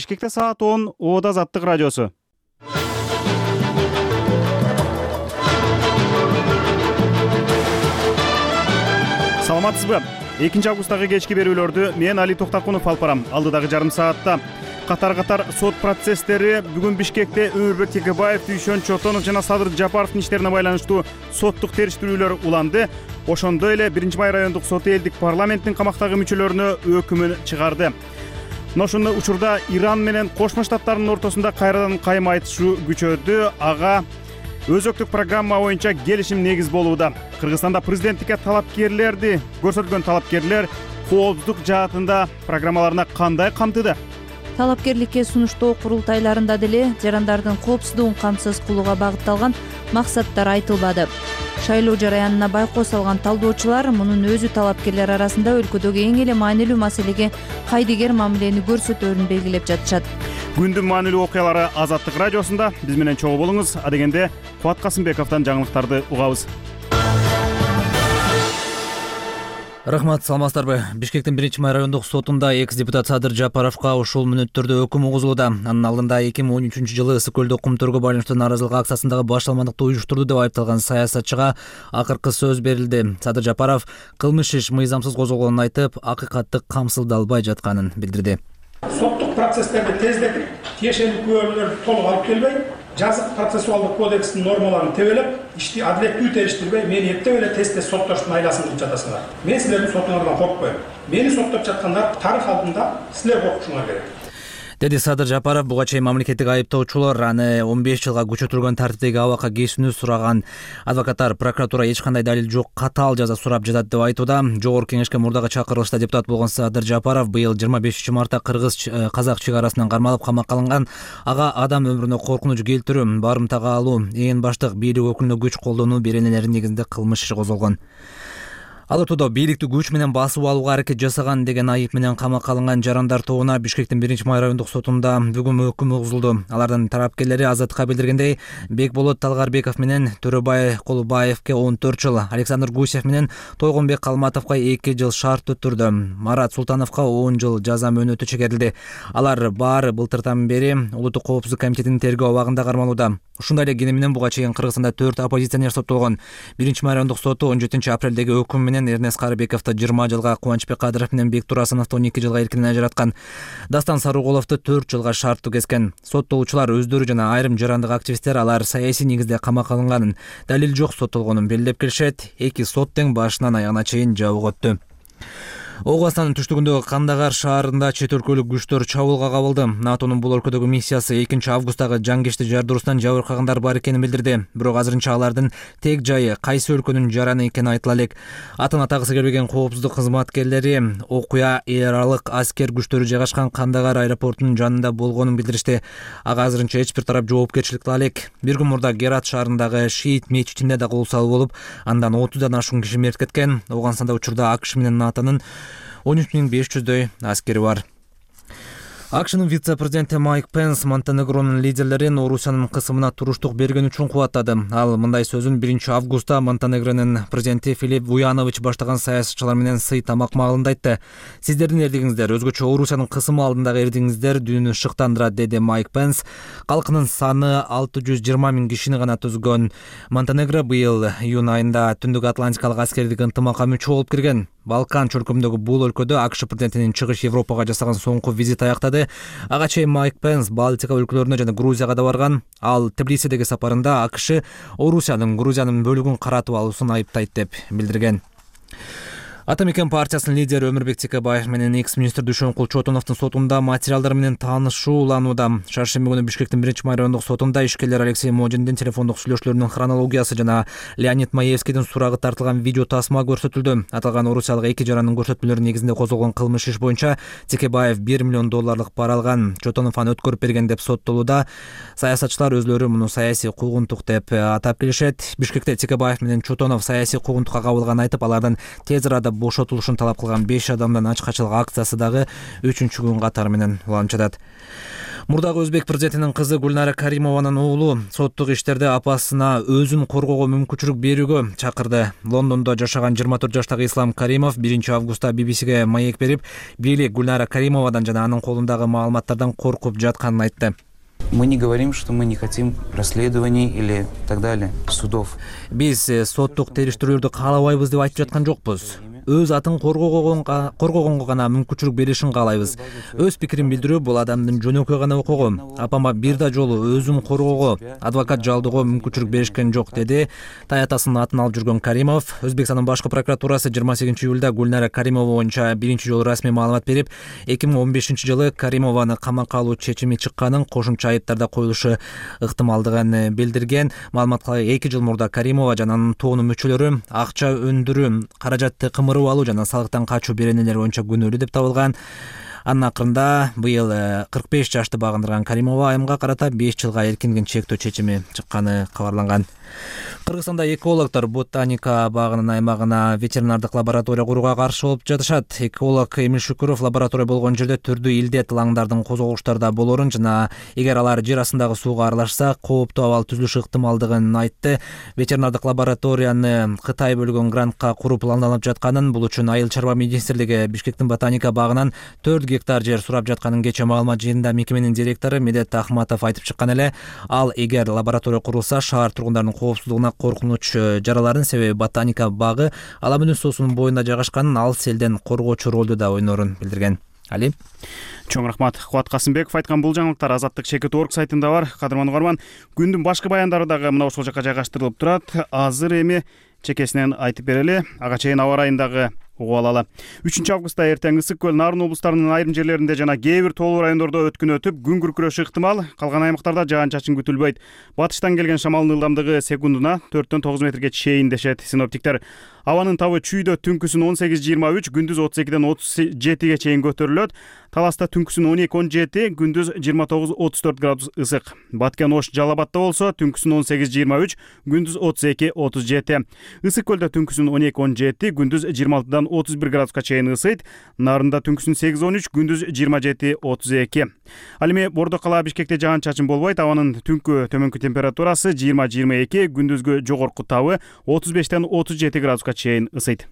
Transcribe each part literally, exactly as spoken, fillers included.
Бишкекте саат он, Ода Азаттык радиосу. Саламатсызбы? экинчи августтагы кечки берүүлөрдү мен Али Токтакунов алып барам. Алдыдагы жарым саатта катар-катар сот процесстери бүгүн Бишкекте Өмүрбек Текебаев, Дүйшөн Чотонов жана Садыр Жапаровдун иштерине байланыштуу соттук териштирүүлөр уланды. Ошондой эле биринчи май райондук соты элдик парламенттин камактагы мүчөлөрүнө өкүмүн чыгарды. Ошондой учурда Иран менен Кошмо Штаттардын ортосунда кайрадан кайым айтышуу күчөдү. Ага өзөктүк программа боюнча келишим негиз болууда. Кыргызстанда президенттикке талапкерлерди көрсөтүлгөн талапкерлер коопсуздук жаатында программаларына кандай камтыды? Талапкерликке сунуштоо курултайларында деле жарандардын коопсуздугун камсыз кылууга багытталган максаттар айтылбады. Шайлоо жараянына байкоо салган талдоочулар мунун өзү талапкерлер арасында өлкөдөгү эң эле маанилүү маселеге кайдыгер мамилени көрсөтөөрүн белгилеп жатышат. Күндүн маанилүү окуялары Азаттык радиосунда. Биз менен чогуу болуңуз. Адегенде Кубат Касымбековдон жаңылыктарды угабыз. Рахмат, саламатсыздарбы? Бишкектин биринчи май райондук сотунда экс депутат Садыр Жапаровго ушул мүнөттөрдө өкүм угузулууда. Анын алдында эки миң он үчүнчү жылы ысык көлдө кумтөргө байланыштуу нааразылык акциясындагы башталмандыкты уюштурду деп айыпталган саясатчыга акыркы сөз берилди. Садыр Жапаров кылмыш иш мыйзамсыз козголгонун айтып, акыйкатты камсыздалбай жатканын билдирди. Соттук процесстерди тездетип, тиешелүү күбөлөрдү толук алып келбей, жазык процессуалдык кодекстин нормаларын тебелеп, ишти адилеттүү териштирбей, мени эптеп эле тез-тез соттоштун айласын кылып жатасыңар. Мен силердин сотуңардан коркпойм. Мени соттоп жаткандар тарых алдында силер коркушуңар керек, деди Садыр Жапаров. Буга чейин мамлекеттик айыптоочулар аны он беш жылга күчөтүлгөн тартиптеги абакка кесүүнү сураган. Адвокаттар прокуратура эч кандай далил жок, катаал жаза сурап жатат деп айтууда. Жогорку кеңешке мурдагы чакырылышта депутат болгон Садыр Жапаров быйыл жыйырма бешинчи мартта кыргыз казак чек арасынан кармалып камакка алынган. Ага адам өмүрүнө коркунуч келтирүү, барымтага алуу, ээн баштык бийлик өкүлүнө күч колдонуу беренелери негизинде кылмыш иши козголгон. Ал ортодо бийликти күч менен басып алууга аракет жасаган деген айып менен камакка алынган жарандар тобуна Бишкектин биринчи май райондук сотунда бүгүн өкүм угузулду. Алардын тарапкерлери Азаттыкка билдиргендей, Бекболот Талгарбеков менен Төрөбай Колубаевке он төрт жыл, Александр Гусев менен Тойгонбек Калматовго эки жыл шарт өттүрдү. Марат Султановго он жыл жаза мөөнөтү чегерилди. Алар баары былтыртан бери Улуттук коопсуздук комитетинин тергөө абагында кармалууда. Ушундай эле кene менен буга чейин Кыргызстанда төрт оппозиционер соттолгон. биринчи май райондук соту он жетинчи апрелдеги өкүм менен Эрнест Карыбековду жыйырма жылга, Кубанычбек Кадыров менен Бек Турасыновду он эки жылга эркинен ажыраткан. Дастан Сарыголовду төрт жылга шарттуу кескен. Соттолуучулар өздөрү жана айрым жарандык активисттер алар саясий негизде камакка алынганын, далил жок соттолгонун белгилеп келишет. Эки сот тең башынан аягына чейин жабык өттү. Оғастанын түштүгүндөгү Кандагар шаарында чет өлкөлүк күчтөр чабуулга кабылды. НАТОнун бул өлкөдөгү миссиясы экинчи августтагы жангечти жардыруусунан жабыркагандар бар экенин билдирди. Бирок азырынча алардын тек жайы кайсы өлкөнүн жараны экени айтыла элек. Атын атагысы келбеген коопсуздук кызматкерлери окуя эл аралык аскер күчтөрү жайгашкан Кандагар аэропортунун жанында болгонун билдиришти. Ага азырынча эч бир тарап жоопкерчилик ала элек. Бир күн мурда Герат шаарындагы Шиит мечитинде да кол салуу болуп, андан отуздан ашуун киши мерт кеткен. Оогунстанда учурда АКШ менен НАТОнун он үч миң беш жүздөй аскери бар. АКШнын вице-президенти Майк Пенс Монтенегронун лидерлерин Орусиянын кысымына туруштук берген үчүн кубаттады. Ал мындай сөзүн биринчи августта Монтенегронун президенти Филипп Вуянович баштаган саясатчылар менен сый тамак маалында айтты. Сиздердин эрдигиңиздер өзгөчө Орусиянын кысымы алдындагы эрдигиңиздер дүйнөнү шыктандырат, деди Майк Пенс. Калкынын саны алты жүз жыйырма миң кишини гана түзгөн Монтенегро быйыл июнь айында Түндүк Атлантикалык аскердик ынтымакка мүчө болуп кирген. Балкан чөлкөмүндөгү бул өлкөдө АКШ президентинин чыгыш Европага жасаган соңку визити аяктады. Ага чейин Майк Пенс Балтика өлкөлөрүнө жана Грузияга да барган. Ал Тбилисидеги сапарында АКШ Орусиянын Грузиянын бөлүгүн каратып алуусун айыптайт деп билдирген. Ата мекен партиясынын лидери Өмүрбек Текебаев менен экс-министр Дүйшөнкул Чотоновдун сотунда материалдар менен таанышуу уланууда. Шаршемби күнү Бишкектин биринчи май райондук сотунда ишкерлер Алексей Модиндин телефондук сүйлөшүүлөрүнүн хронологиясы жана Леонид Маевскийдин сурагы тартылган видео тасма көрсөтүлдү. Аталган орусиялык эки жарандын көрсөтмөлөрү негизинде козголгон кылмыш иш боюнча Текебаев бир миллион долларлык пара алган, Чотонов аны өткөрүп берген деп соттолууда. Саясатчылар өзлөрү муну саясий куугунтук деп атап келишет. Бишкекте Текебаев менен Чотонов саясий куугунтукка кабылганын айтып, алардан тез арада бошотулушун талап кылган беш адамдан ачкачылык акциясы дагы үчүнчү күн катары менен уланып жатат. Мурдагы өзбек президентинин кызы Гүлнара Каримованын уулу соттук иштерде апасына өзүн коргоого мүмкүнчүлүк берүүгө чакырды. Лондондо жашаган жыйырма төрт жаштагы Ислам Каримов биринчи августта би би сиге маек берип, бийлик Гүлнара Каримовадан жана анын колундагы маалыматтардан коркуп жатканын айтты. Мы не говорим, что мы не хотим расследований или так далее, судов. Биз соттук териштирүүлөрдү каалабайбыз деп айтып жаткан жокпуз. Өз атын коргогонго коргогонго гана мүмкүнчүлүк беришин каалайбыз. Өз пикирин билдирүү бул адамдын жөнөкөй гана окугу. Апама бир да жолу өзүм коргоого, адвокат жалдоого мүмкүнчүлүк беришкен жок, деди таятасынын атын алып жүргөн Каримов. Өзбекстандын башкы прокуратурасы жыйырма сегизинчи июлда Гүлнара Каримова боюнча биринчи жолу расмий маалымат берип, эки миң он бешинчи жылы Каримованы камакка алуу чечими чыкканын, кошумча айыптарда коюлушу ыктымалдыгын билдирген. Маалыматка эки жыл мурда Каримова жана анын тоонун мүчөлөрү акча өндүрүү, каражатты кымырып алуу жана салыктан качуу беренелери боюнча күнөөлүү деп табылган. Анын акырында быйыл кырк беш жашты багындырган Каримова айымга карата беш жылга эркинген чектөө чечими чыкканы кабарланган. Кыргызстанда экологдор ботаника багынын аймагына ветеринардык лаборатория курууга каршы болуп жатышат. Эколог Эмил Шүкүров лаборатория болгон жерде түрдүү илдет лаңдардын козголуштарда болорун жана эгер алар жер астындагы сууга аралашса кооптуу абал түзүлүшү ыктымалдыгын айтты. Ветеринардык лабораторияны Кытай бөлгөн грантка куруу пландалып жатканын, бул үчүн Айыл чарба министрлиги Бишкектин ботаника багынан төрт гектар жер сурап жатканын кечээ маалымат жыйынында мекеменин директору Медет Ахматов айтып чыккан эле. Ал эгер лаборатория курулса шаар тургундарынын коопсуздугуна коркунуч жараларын, себеби ботаника багы Ала Мөнүз суусунун боюнда жайгашкан, ал селден коргоочу ролду да ойнорун билдирген. Али Чоң рахмат. Кубат Касымбеков айткан бул жаңылыктар Азаттык чекит точка орг сайтында бар. Кадырман угарман, күндүн башкы баяндары дагы мына ушул жакка жайгаштырылып турат. Азыр эми чекесинен айтып берели. Ага чейин аба ырайындагы угуп алалы. үчүнчү августта эртең Ысык көл, Нарын облустарынын айрым жерлеринде жана кээ бир тоолуу райондордо өткүн өтүп, күн күркүрөшү ыктымал. Калган аймактарда жаан-чачын күтүлбөйт. Батыштан келген шамалдын ылдамдыгы секундуна төрттөн тогуз метрге чейин дешет синоптиктер. Абанын табы чүйдө түнкүсүн он сегиз жыйырма үч, күндүз отуз экиден отуз жетиге чейин көтөрүлөт. Таласта түнкүсүн он эки он жети, күндүз жыйырма тогуз отуз төрт градус ысык. Баткен Ош Жалал Абадта болсо түнкүсүн он сегиз жыйырма үч, күндүз отуз эки отуз жети. Ысык көлдө түнкүсүн он эки он жети, күндүз жыйырма алтыдан отуз бир градуска чейин ысыйт. Нарында түнкүсүн сегиз он үч, күндүз жыйырма жети отуз эки. Ал эми Бордо кала Бишкекте жаан-чачын болбойт. Абанын түнкү төмөнкү температурасы жыйырма жыйырма эки, күндүзгү жогорку табы отуз бештен отуз жети градуска чейин ысыйт.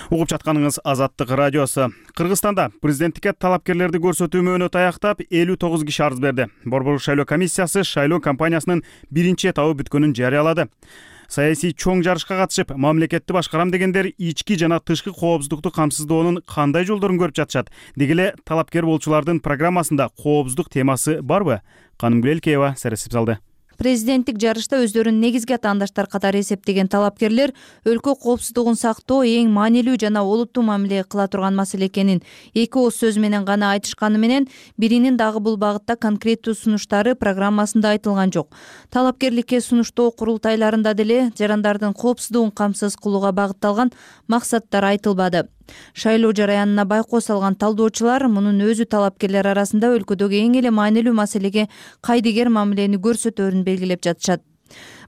Угуп жатканыңыз Азаттык радиосу. Кыргызстанда президенттикке талапкерлерди көрсөтүү мөөнөтү аяктап элүү тогуз киши арыз берди. Борбордук шайлоо комиссиясы шайлоо кампаниясынын биринчи этабы бүткөнүн жарыялады. Саясий чоң жарышка катышып, мамлекетти башкарам дегендер ички жана тышкы коопсуздукту камсыздоонун кандай жолдорун көрүп жатышат? Деги эле талапкер болчулардын программасында коопсуздук темасы барбы? Канымгүл Элкеева сересип салды. Президенттик жарышта өздөрүн негизги атаандаштар катары эсептеген талапкерлер өлкө коопсуздугун сактоо эң маанилүү жана олуттуу мамиле кыла турган маселе экенин эки ооз сөз менен гана айтышканы менен, биринин дагы бул багытта конкреттүү сунуштары программасында айтылган жок. Талапкерликке сунуштоо курултайларында деле жарандардын коопсуздугун камсыз кылууга багытталган максаттар айтылбады. Шайлоо жараянына байкоо салган талдоочулар мунун өзү талапкерлер арасында өлкөдөгү эң эле маанилүү маселеге кайдыгер мамилени көрсөтөөрүн белгилеп жатышат.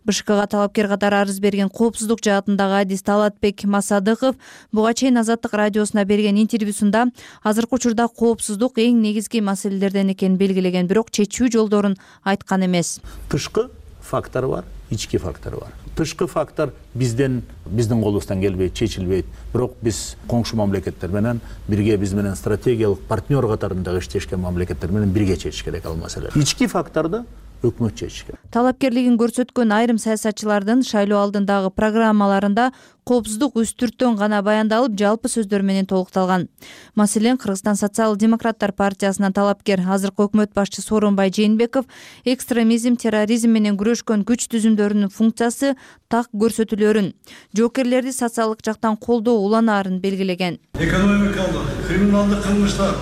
БШКга талапкер катары арыз берген коопсуздук жаатындагы адис Талатбек Масадыков буга чейин Азаттык радиосуна берген интервьюсунда азыркы учурда коопсуздук эң негизги маселелерден экенин белгилеген, бирок чечүү жолдорун айткан эмес. Тышкы фактор бар, ички фактор бар. Тышкы фактор бизден биздин колубуздан келбейт, чечилбейт. Бирок биз коңшу мамлекеттер менен бирге, биз менен стратегиялык партнер катарында иштешкен мамлекеттер менен бирге чечиш керек ал маселе. Ички факторду өкмөт чечиш керек. Талапкерлигин көрсөткөн айрым саясатчылардын шайлоо алдындагы программаларында коопсуздук үстүрттөн гана баяндалып, жалпы сөздөр менен толукталган. Маселен, Кыргызстан социал-демократтар партиясынан талапкер азыркы өкмөт башчысы Сооронбай Жээнбеков экстремизм, терроризм менен күрөшкөн күч түзүмдөрүнүн функциясы так көрсөтүлөрүн, жоокерлерди социалдык жактан колдоо уланаарын белгилеген. Экономикалык, криминалдык кылмыштар,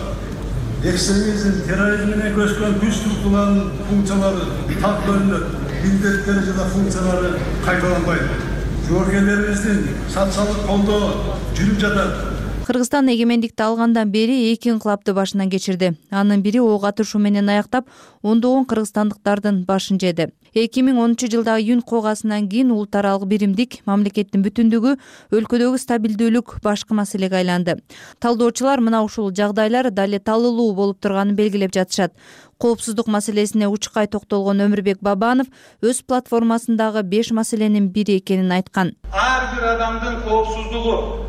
экстремизм, терроризм менен күрөшкөн күч структураларынын функциялары так көрүнөт, милдеттери жана функциялары кайталанбайт. Жоокерлерибиздин социалдык колдоо жүрүп жатат. Кыргызстан эгемендикти алгандан бери эки инкылапты башынан кечирди. Анын бири ок атышуу менен аяктап, ондогон кыргызстандыктардын башын жеди. эки миң онунчу жылдагы июнь куугасынан кийин улут аралык биримдик, мамлекеттин бүтүндүгү, өлкөдөгү стабилдүүлүк башкы маселеге айланды. Талдоочулар мына ушул жагдайлар дале талылуу болуп турганын белгилеп жатышат. Коопсуздук маселесине учкай токтолгон Өмүрбек Бабанов өз платформасындагы беш маселенин бири экенин айткан. Ар бир адамдын коопсуздугу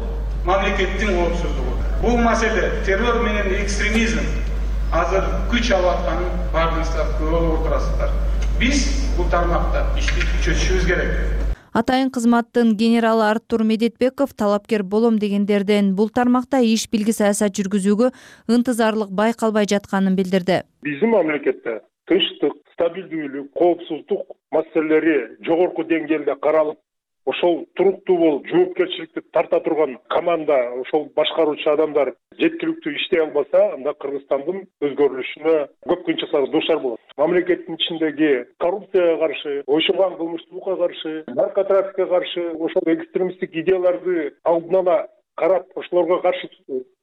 мамлекеттин коопсуздугу. Бул маселе террор менен экстремизм азыр күч алып атканын бардыгыңыздар көрүп отурасыздар. Биз бул тармакта ишти күчөтүшүбүз керек. Атайын кызматтын генералы Артур Медетбеков талапкер болом дегендерден бул тармакта иш билги саясат жүргүзүүгө ынтызарлык байкалбай жатканын билдирди. Биздин мамлекетте тынчтык, стабилдүүлүк, коопсуздук маселелери жогорку деңгээлде каралып, ошол туруктуу болуп, жоопкерчиликти тарта турган команда, ошол башкаруучу адамдар жеткиликтүү иштей албаса, анда Кыргызстандын өзгөрүлүшүнө көп кыйынчылыктарга дуушар болот. Мамлекеттин ичиндеги коррупцияга каршы, ойшулган кылмыштуулукка каршы, наркотрафикке каршы, ошол экстремисттик идеяларды алдын ала карап, ошолорго каршы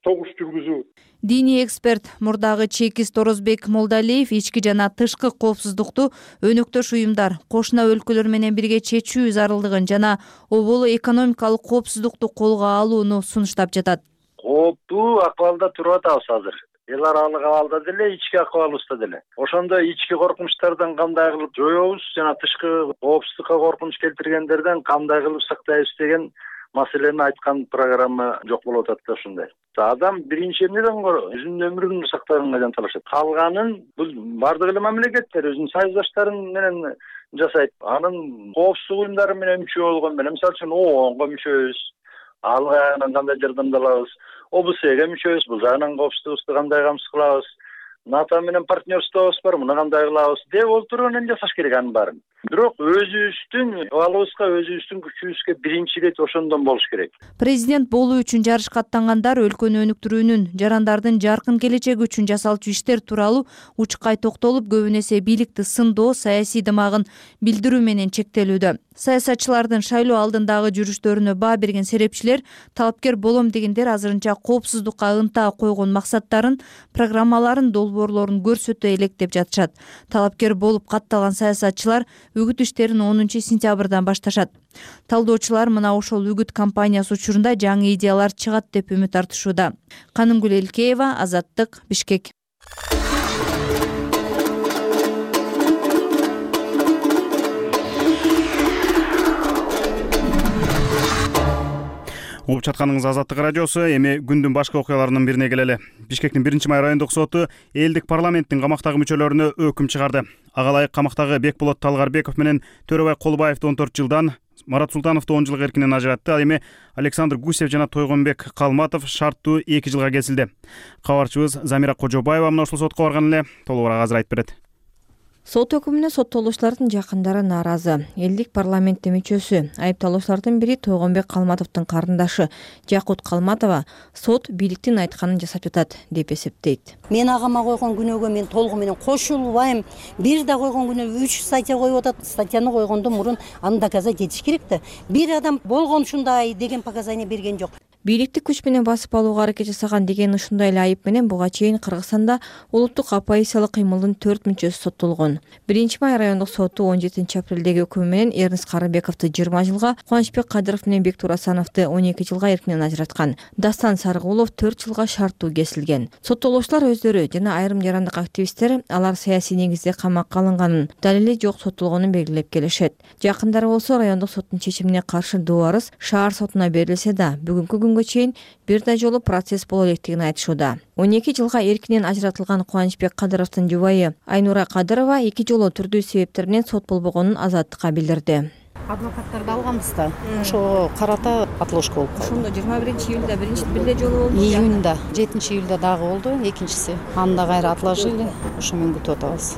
согуш жүргүзүү. Диний эксперт мурдагы чекист Орозбек Молдалиев ички жана тышкы коопсуздукту өнөктөш уюмдар, кошуна өлкөлөр менен бирге чечүү зарылдыгын жана оболу экономикалык коопсуздукту колго алууну сунуштап жатат. Кооптуу акыбалда туруп атабыз азыр. Эл аралык абалда деле, ички акыбалыбызда деле. Ошондо ички коркунучтардан кандай кылып жоёбуз жана тышкы коопсуздукка коркунуч келтиргендерден кандай кылып сактайбыз деген маселени айткан программа жок болуп атат да ушундай. Адам биринчи эмнеден өзүнүн өмүрүн сактаганга жанталашат. Калганын бул бардык эле мамлекеттер өзүнүн союздаштарын менен жасайт. Анын коопсуздук уюмдары менен мүчө болгон менен, мисалы үчүн ООНго мүчөбүз. Ал жагынан кандай жардамды алабыз? О Б S'ге мүчөбүз. Бул жагынан коопсуздугубузду кандай камсыз кылабыз? НАТО менен партнерствобуз бар, муну кандай кылабыз деп олтуруп анан жасаш керек анын баарын. Бирок өзүбүздүн абалыбызга, өзүбүздүн күчүбүзгө биринчи ирет ошондон болуш керек. Президент болуу үчүн жарышка аттангандар өлкөнү өнүктүрүүнүн, жарандардын жаркын келечеги үчүн жасалчу иштер тууралуу учкай токтолуп, көбүн эсе бийликти сындоо, саясий дымагын билдирүү менен чектелүүдө. Саясатчылардын шайлоо алдындагы жүрүштөрүнө баа берген серепчилер талапкер болом дегендер азырынча коопсуздукка ынта койгон максаттарын, программаларын, долбоорлорун көрсөтө элек деп жатышат. Талапкер болуп катталган саясатчылар үгүт иштерин онунчу сентябрдан башташат. Талдоочулар мына ошол үгүт кампаниясы учурунда жаңы идеялар чыгат деп үмүт артышууда. Канымгүл Элкеева, Азаттык, Бишкек. Угуп жатканыңыз Азаттык радиосу. Эми күндүн башка окуяларынын бирине келели. Бишкектин биринчи май райондук соту элдик парламенттин камактагы мүчөлөрүнө өкүм чыгарды. Ага ылайык камактагы Бекболот Талгарбеков менен Төрөбай Колубаевди он төрт жылдан, Марат Султановду он жылга эркинен ажыратты. Ал эми Александр Гусев жана Тойгонбек Калматов шарттуу эки жылга кесилди. Кабарчыбыз Замира Кожобаева мына ушул сотко барган эле. Толугураак азыр айтып берет. Сот өкүмүнө соттолуучулардын жакындары нааразы. Элдик парламенттин мүчөсү, айыпталуучулардын бири Тойгонбек Калматовдун карындашы Жакут Калматова сот бийликтин айтканын жасап жатат деп эсептейт. Мен агама койгон күнөөгө мен толугу менен кошулбайм. Бир да койгон күнөө үч статья коюп атат. Статьяны койгондон мурун аны доказать этиш керек да. Бир адам болгон ушундай деген показания берген жок. Бийликти күч менен басып алууга аракет жасаган деген ушундай эле айып менен буга чейин Кыргызстанда улуттук оппозициялык кыймылдын төрт мүчөсү соттолгон. биринчи май райондук соту он жетинчи апрелдеги өкүмү менен Эрнст Карыбековду жыйырма жылга, Кубанычбек Кадыров менен Бектур Асановду он эки жылга эркинен ажыраткан. Дастан Сарыгулов төрт жылга шарттуу кесилген. Соттолуучулар өздөрү жана айрым жарандык активисттер алар саясий негизде камакка алынганын, далили жок соттолгонун белгилеп келишет. Жакындары болсо райондук соттун чечимине каршы доо арыз шаар сотуна берилсе да, бүгүнкү күнгө чейин бир да жолу процесс боло электигин айтышууда. он эки жылга эркинен ажыратылган Кубанычбек Кадыровдун жубайы Айнура Кадырова эки жолу түрдүү себептер менен сот болбогонун Азаттыкка билдирди. Адвокаттарды алганбыз да. Ошого карата отложка болуп калды. Ошондо жыйырма биринчи июлда биринчи бир эле жолу болду. Июнда, жетинчи июлда дагы болду, экинчиси. Аны да кайра отложили. Ошо менен күтүп атабыз.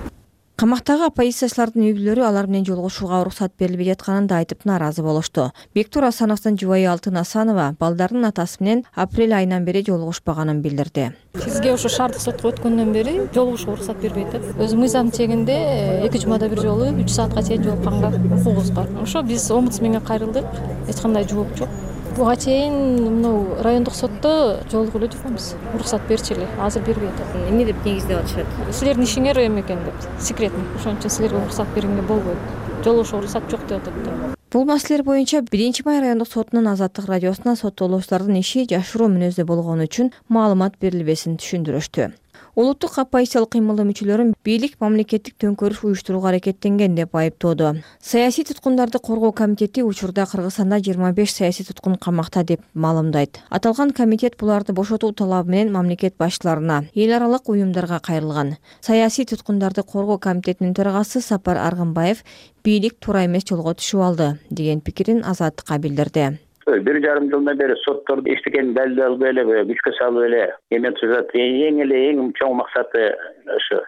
Камактагы оппозициячылардын үй бүлөлөрү алар менен жолугушууга уруксат берилбей жатканын да айтып нааразы болушту. Бектур Асановдун жубайы Алтын Асанова балдарынын атасы менен апрель айынан бери жолугушпаганын билдирди. Бизге ошо шаардык сотко өткөндөн бери жолугушууга уруксат бербей атат. Өзүм мыйзам чегинде эки жумада бир жолу үч саатка чейин жолукканга укугубуз бар. Ошо биз омбудсменге кайрылдык, эч кандай жооп жок. Буга чейин мынау райондук сотто жолугуп эле жүргөнбүз. Уруксат берчи эле, азыр бербей атат. Эмне деп негиздеп атышат? Силердин ишиңер эме экен деп, секретный. Ошон үчүн силерге уруксат бергенге болбойт. Жолугушууга уруксат жок деп атат. Бул маселелер боюнча биринчи май райондук сотунун Азаттык радиосуна соттолуучулардын иши жашыруу мүнөздө болгону үчүн маалымат берилбесин түшүндүрүштү. Улуттук оппозициялык кыймылдын мүчөлөрүн бийлик мамлекеттик төңкөрүш уюштурууга аракеттенген деп айыптоодо. Саясий туткундарды коргоо комитети учурда Кыргызстанда жыйырма беш саясий туткун камакта деп маалымдайт. Аталган комитет буларды бошотуу талабы менен мамлекет башчыларына, эл аралык уюмдарга кайрылган. Саясий туткундарды коргоо комитетинин төрагасы Сапар Аргынбаев бийлик туура эмес жолго түшүп алды деген пикирин Азаттыкка билдирди. Бир жарым жылдан бери сотторду эчтекени далил албай эле, күчкө салып эле эме түзөт. Эң эле эң чоң максаты ошо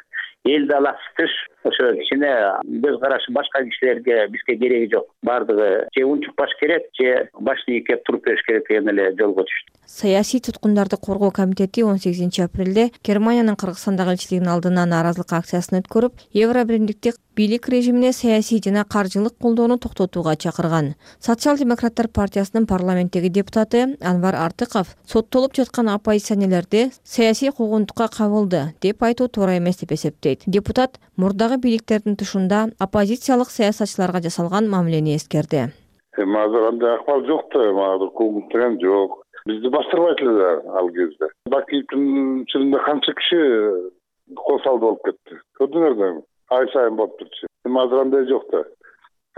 элди алаксытыш, ошо кичине көз карашы башка кишилерге бизге кереги жок. Бардыгы же унчук баш керек, же башты ийкеп туруп бериш керек деген эле жолго түштү. Саясий туткундарды коргоо комитети он сегизинчи апрелде Германиянын Кыргызстандагы элчилигинин алдына нааразылык акциясын өткөрүп, Евро биримдиктик бийлик режимине саясий жана каржылык колдоону токтотууга чакырган. Социал-демократтар партиясынын парламенттеги депутаты Анвар Артыков соттолуп жаткан оппозиционерлерди саясий куугунтукка кабылды деп айтуу туура эмес деп эсептейт. Депутат мурдагы бийликтердин тушунда оппозициялык саясатчыларга жасалган мамилени эскерди. Азыр андай акыбал жок да, мага куугунт деген жок. Бизди бастырбайт эле ал кезде. Бакиевдин чынында канча киши кол салды болуп кетти. Көрдүңөр да, ай сайын болуп турчу. Эми азыр андай жок да.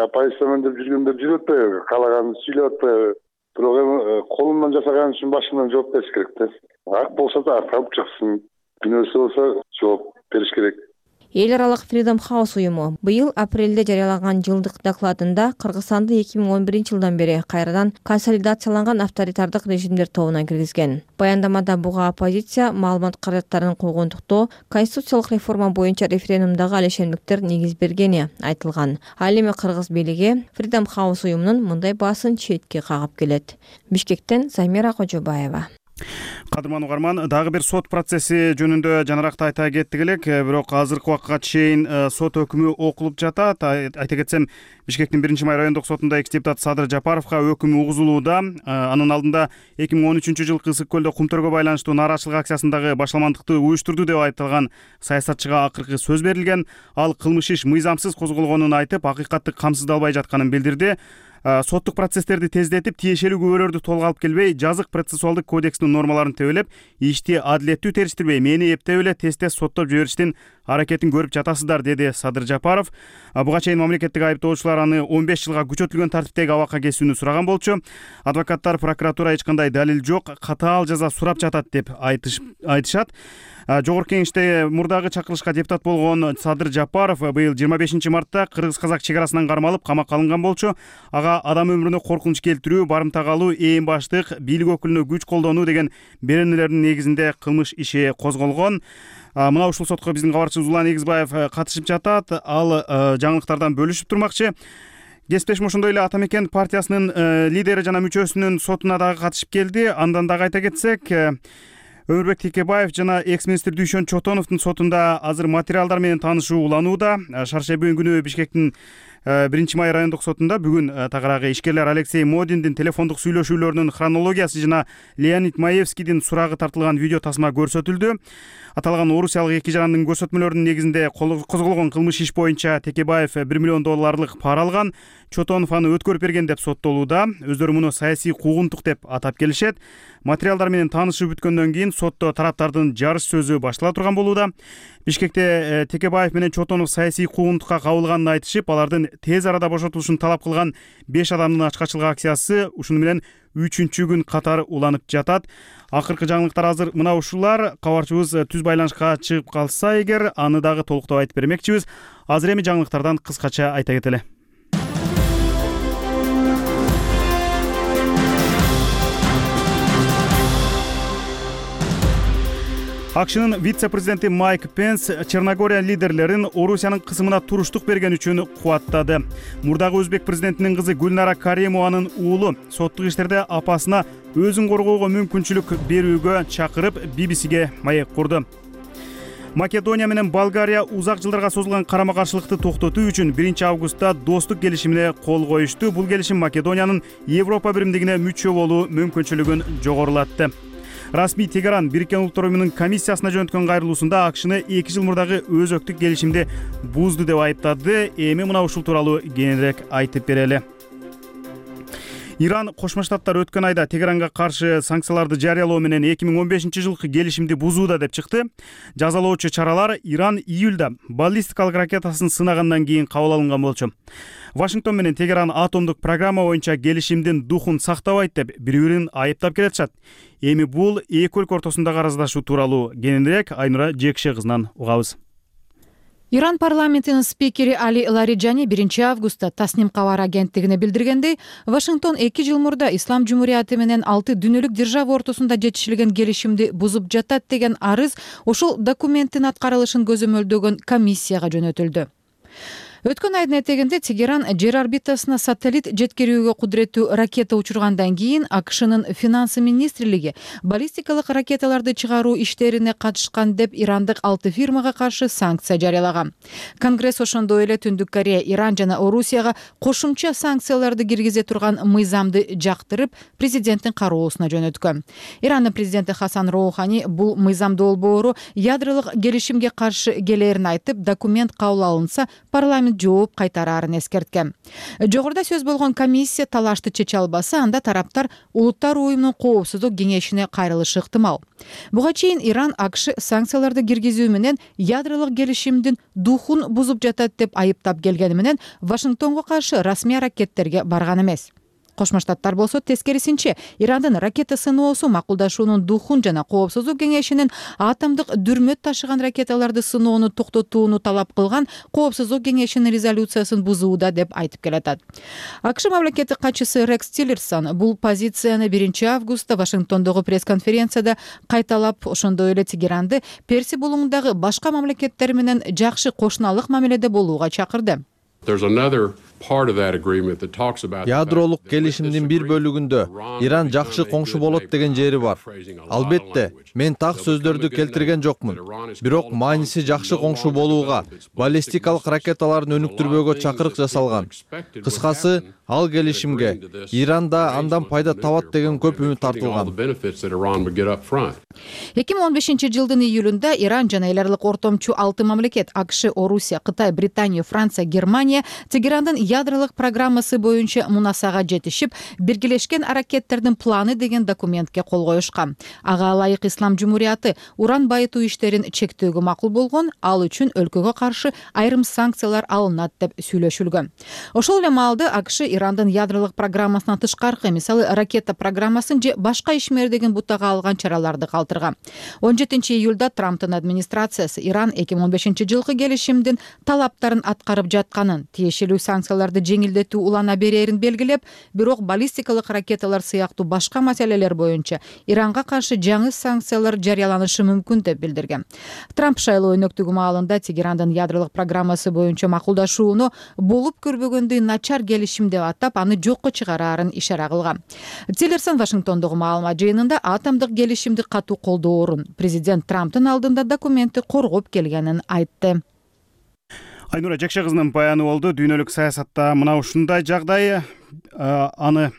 Оппозициямын деп жүргөндөр жүрүп атпайбы, каалаганын сүйлөп атпайбы. Бирок эми колунан жасаган үчүн башынан жооп бериш керек да. Ак болсо да ак алып чыксын, күнөөсү болсо жооп бериш керек. Эл аралык Freedom House уюму быйыл апрелде жарыялаган жылдык докладында Кыргызстанды эки миң он биринчи жылдан бери кайрадан консолидацияланган авторитардык режимдер тобуна киргизген. Баяндамада буга оппозиция маалымат каражаттарын куугунтуктоо, конституциялык реформа боюнча референдумдагы алешендиктер негиз бергени айтылган. Ал эми кыргыз бийлиги Freedom House уюмунун мындай баасын четке кагып келет. Бишкектен Замира Кожобаева. Кадырман угарман, дагы бир сот процесси жөнүндө жанаракта айта кеттик элек, бирок азыркы убакытка чейин сот өкүмү окулуп жатат. Айта кетсем, Бишкектин биринчи май райондук сотунда экс-депутат Садыр Жапаровго өкүм угузулууда. Анын алдында эки миң он үчүнчү жылкы Ысык көлдө кумтөргө байланыштуу нааразычылык акциясындагы башаламандыкты уюштурду деп айыпталган саясатчыга акыркы сөз берилген. Ал кылмыш иш мыйзамсыз козголгонун айтып, акыйкатты камсыздалбай жатканын билдирди. Соттук процесстерди тездетип, тиешелүү күбөлөрдү толук алып келбей, жазык процессуалдык кодекстин нормаларын тебелеп, ишти адилеттүү териштирбей, мени эптеп эле тез-тез соттоп жибериштин аракетин көрүп жатасыздар, деди Садыр Жапаров. Буга чейин мамлекеттик айыптоочулар аны он беш жылга күчөтүлгөн тартиптеги абакка кесүүнү сураган болчу. Адвокаттар прокуратура эч кандай далил жок, катаал жаза сурап жатат деп айтышат. Жогорку кеңеште мурдагы чакырылышка депутат болгон Садыр Жапаров быйыл жыйырма бешинчи мартта кыргыз-казак чек арасынан кармалып, камакка алынган болчу. Ага адам өмүрүнө коркунуч келтирүү, барымта калуу, ээн баштык, бийлик өкүлүнө күч колдонуу деген беренелердин негизинде кылмыш иши козголгон. Мына ушул сотко биздин кабарчыбыз Улан Эгизбаев катышып жатат. Ал жаңылыктардан бөлүшүп турмакчы. Кесиптешим ошондой эле Ата Мекен партиясынын лидери жана мүчөсүнүн сотуна дагы катышып келди. Андан дагы айта кетсек, Өмүрбек Текебаев жана экс-министр Дүйшөн Чотоновдун сотунда азыр материалдар менен таанышуу уланууда. Шаршемби күнү Бишкектин биринчи май райондук сотунда бүгүн тагыраагы ишкерлер Алексей Модиндин телефондук сүйлөшүүлөрүнүн хронологиясы жана Леонид Маевскийдин сурагы тартылган видео тасма көрсөтүлдү. Аталган орусиялык эки жарандын көрсөтмөлөрүнүн негизинде козголгон кылмыш иш боюнча Текебаев бир миллион долларлык пара алган. Чотонов аны өткөрүп берген деп соттолууда. Өздөрү муну саясий куугунтук деп атап келишет. Материалдар менен таанышып бүткөндөн кийин сотто тараптардын жарыш сөзү баштала турган болууда. Бишкекте Текебаев менен Чотонов саясий куугунтукка кабылганын айтышып, алардын тез арада бошотулушун талап кылган беш адамдын ачкачылык акциясы ушуну менен үчүнчү күн катары уланып жатат. Акыркы жаңылыктар азыр мына ушулар. Кабарчыбыз түз байланышка чыгып калса эгер, аны дагы толуктап айтып бермекчибиз. Азыр эми жаңылыктардан кыскача айта кетели. АКШнын вице-президенти Майк Пенс Черногория лидерлерин Орусиянын кысымына туруштук берген үчүн кубаттады. Мурдагы өзбек президентинин кызы Гүлнара Каримованын уулу соттук иштерде апасына өзүн коргоого мүмкүнчүлүк берүүгө чакырып би би сиге маек курду. Македония менен Болгария узак жылдарга созулган карама-каршылыкты токтотуу үчүн биринчи августта достук келишимине кол коюшту. Бул келишим Македониянын Европа биримдигине мүчө болуу мүмкүнчүлүгүн жогорулатты. Расмий Тегеран Бириккен Улуттар Уюмунун комиссиясына жөнөткөн кайрылуусунда АКШны эки жыл мурдагы өзөктүк келишимди бузду деп айыптады. Эми мына ушул тууралуу кененирээк айтып берели. Иран Кошмо Штаттар өткөн айда Тегеранга каршы санкцияларды жарыялоо менен эки миң он бешинчи жылкы келишимди бузууда деп чыкты. Жазалоочу чаралар Иран июлда баллистикалык ракетасын сынагандан кийин кабыл алынган болчу. Вашингтон менен Тегеран атомдук программа боюнча келишимдин духун сактабайт деп бири-бирин айыптап келатышат. Эми бул эки өлкө ортосундагы араздашуу тууралуу кененирээк Айнура Жекше кызынан угабыз. Иран парламентинин спикери Али Лариджани биринчи августта Тасним кабар агенттигине билдиргендей, Вашингтон эки жыл мурда Ислам Жумурияты менен алты дүйнөлүк держава ортосунда жетишилген келишимди бузуп жатат деген арыз ушул документтин аткарылышын көзөмөлдөгөн комиссияга жөнөтүлдү. Өткөн айдын этегинде Тегеран жер орбитасына сателлит жеткирүүгө кудуреттүү ракета учургандан кийин АКШнын финансы министрлиги баллистикалык ракеталарды чыгаруу иштерине катышкан деп ирандык алты фирмага каршы санкция жарыялаган. Конгресс ошондой эле Түндүк Корея, Иран жана Орусияга кошумча санкцияларды киргизе турган мыйзамды жактырып, президенттин кароосуна жөнөткөн. Ирандын президенти Хасан Роухани бул мыйзамды болбоору ядролук келишимге каршы келээрин айтып, документ кабыл алынса, парламент жооп кайтараарын эскерткен. Жогоруда сөз болгон комиссия талашты чече албаса, анда тараптар Улуттар Уюмунун коопсуздук кеңешине кайрылышы ыктымал. Буга чейин Иран АКШ санкцияларды киргизүү менен ядролук келишимдин духун бузуп жатат деп айыптап келгени менен Вашингтонго каршы расмий аракеттерге барган эмес. Кошмо Штаттар болсо тескерисинче Ирандын ракета сыноосу макулдашуунун духун жана коопсуздук кеңешинин атомдук дүрмөт ташыган ракеталарды сыноону токтотууну талап кылган коопсуздук кеңешинин резолюциясын бузууда деп айтып келатат. АКШ мамлекеттик катчысы Рекс Тиллерсон бул позицияны биринчи августта Вашингтондогу пресс-конференцияда кайталап, ошондой эле Тегеранды Перси булуңундагы башка мамлекеттер менен жакшы кошуналык мамиледе болууга чакырды. Ядролук келишимдин бир бөлүгүндө Иран жакшы коңшу болот деген жери бар. Албетте, мен так сөздөрдү келтирген жокмун. Бирок мааниси жакшы коңшу болууга, баллистикалык ракеталарын өнүктүрбөөгө чакырык жасалган. Кыскасы, ал келишимге Иран да андан пайда табат деген көп үмүт артылган. эки миң он бешинчи жылдын июлунда Иран жана эл аралык ортомчу алты мамлекет АКШ, Орусия, Кытай, Британия, Франция, Германия Тегерандын ядролук программасы боюнча мунасага жетишип, биргелешкен аракеттердин планы деген документке кол коюшкан. Ага ылайык Ислам Жумурияты уран байытуу иштерин чектөөгө макул болгон, ал үчүн өлкөгө каршы айрым санкциялар алынат деп сүйлөшүлгөн. Ошол эле маалда АКШ Ирандын ядролук программасынан тышкаркы, мисалы ракета программасын же башка ишмердигин бутага алган чараларды калтырган. он жетинчи июлда Трамптын администрациясы Иран эки миң он бешинчи жылкы келишимдин талаптарын аткарып жатканын, тиешелүү санкцияларды жеңилдетүү улана берерин белгилеп, бирок баллистикалык ракеталар сыяктуу башка маселелер боюнча Иранга каршы жаңы санкциялар жарыяланышы мүмкүн деп билдирген. Трамп шайлоо өнөктүгү маалында Тегерандын ядролук программасы боюнча макулдашууну болуп көрбөгөндөй начар келишим деп атап, аны жокко чыгараарын ишара кылган. Тиллерсон Вашингтондогу маалымат жыйынында атомдук келишимди катуу колдоорун, президент Трамптын алдында документти коргоп келгенин айтты. Айнура Жекше кызынын баяны болду. Дүйнөлүк саясатта мына ушундай жагдай, аны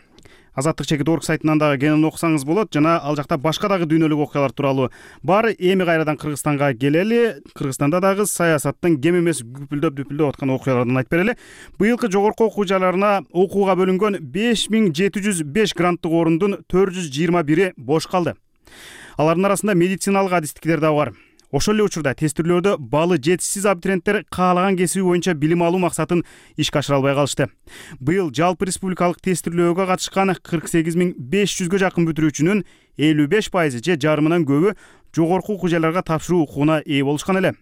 Азаттык чекит орг сайтынан дагы кенен окусаңыз болот, жана ал жакта башка дагы дүйнөлүк окуялар тууралуу бар. Эми кайрадан Кыргызстанга келели. Кыргызстанда дагы саясаттын кем эмес күпүлдөп дүпүлдөп аткан окуялардан айтып берели. Быйылкы жогорку окуу жайларына окууга бөлүнгөн беш миң жети жүз беш гранттык орундун төрт жүз жыйырма бири бош калды. Алардын арасында медициналык адистиктер да бар. Ошол эле учурда тестирлөөдө балы жетишсиз абитуриенттер каалаган кесиби боюнча билим алуу максатын ишке ашыра албай калышты. Быйыл жалпы республикалык тестирлөөгө катышкан кырк сегиз миң беш жүзгө жакын бүтүрүүчүнүн элүү беш пайызы же жарымынан көбү жогорку окуу жайларга тапшыруу укугуна ээ болушкан эле.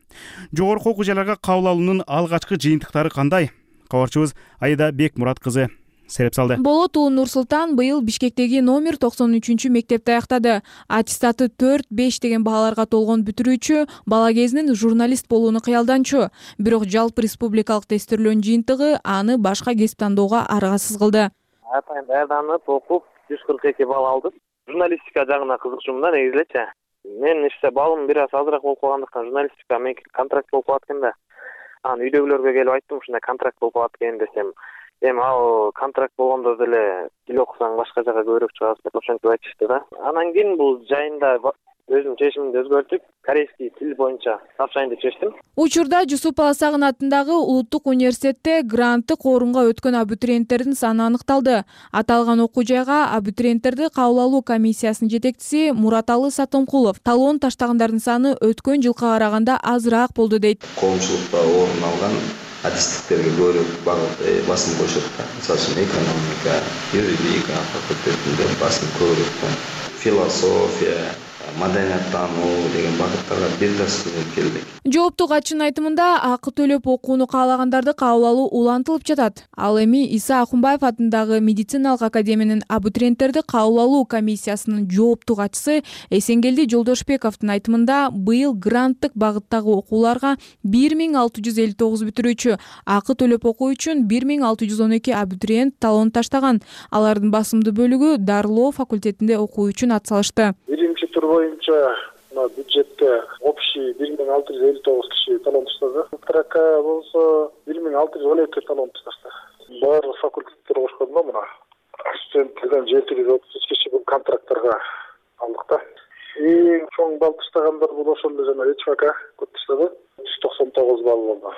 Жогорку окуу жайларга кабыл алуунун алгачкы жыйынтыктары кандай? Кабарчыбыз Айда Бекмурат кызы сереп салды. Болот уулу Нур-Султан быйыл Бишкектеги номер токсон үчүнчү мектепти аяктады. Аттестаты төрт беш деген бааларга толгон бүтүрүүчү, бала кезинен журналист болууну кыялданчу. Бирок жалпы республикалык тестирлөөнүн жыйынтыгы аны башка кесип тандоого аргасыз кылды. Атайын даярданып, окуп жүз кырк эки балл алдым. Журналистика жагына кызыкчумун да негизи элечи. Менин иште балым бир аз азыраак болуп калгандыктан журналистика меники контракт болуп калат экен да. Анан үйдөгүлөргө келип айттым, ушундай контракт болуп калат экен десем, эми ал контракт болгондо деле тил окусаң башка жака көбүрөөк чыгасың деп ошентип айтышты да. Анан кийин бул жайында өзүм чечимимди өзгөртүп, корейский тил боюнча тапшырайын деп чечтим. Учурда Жусуп Баласагын атындагы Улуттук университетте гранттык орунга өткөн абитуриенттердин саны аныкталды. Аталган окуу жайга абитуриенттерди кабыл алуу комиссиясынын жетекчиси Мураталы Сатомкулов талоон таштагандардын саны өткөн жылга караганда азыраак болду дейт. Коомчулукта орун алган адистиктерге көбүрөөк багыт басым коюшат. Мисалы үчүн экономика, юридика факультетинде басым көбүрөөк, философия, маданияттануу деген багыттарга бир да студент келди. Жооптуу катчынын айтымында акы төлөп окууну каалагандарды кабыл алуу улантылып жатат. Ал эми Иса Акунбаев атындагы медициналык академиянын абитуриенттерди кабыл алуу комиссиясынын жооптуу катчысы Эсенгелди Жолдошбековдун айтымында быйыл гранттык багыттагы окууларга бир миң алты жүз элүү тогуз бүтүрүүчү, акы төлөп окуу үчүн бир миң алты жүз он эки абитуриент талон таштаган. Алардын басымдуу бөлүгү дарылоо факультетинде окуу үчүн ат салышты. Биринчи тур боюнча бюджетте общий бир миң алты жүз элүү тогуз киши талон таштады. Вторака болсо бир миң алты жүз он эки талон таштады. Баардык факультеттер кошкондо мына студенттерден жети жүз отуз үч киши бул контракттарга алдык да. Эң чоң балл таштагандар бул ошол эле жана ЭЧФК көп таштады. жүз токсон тогуз балл болду.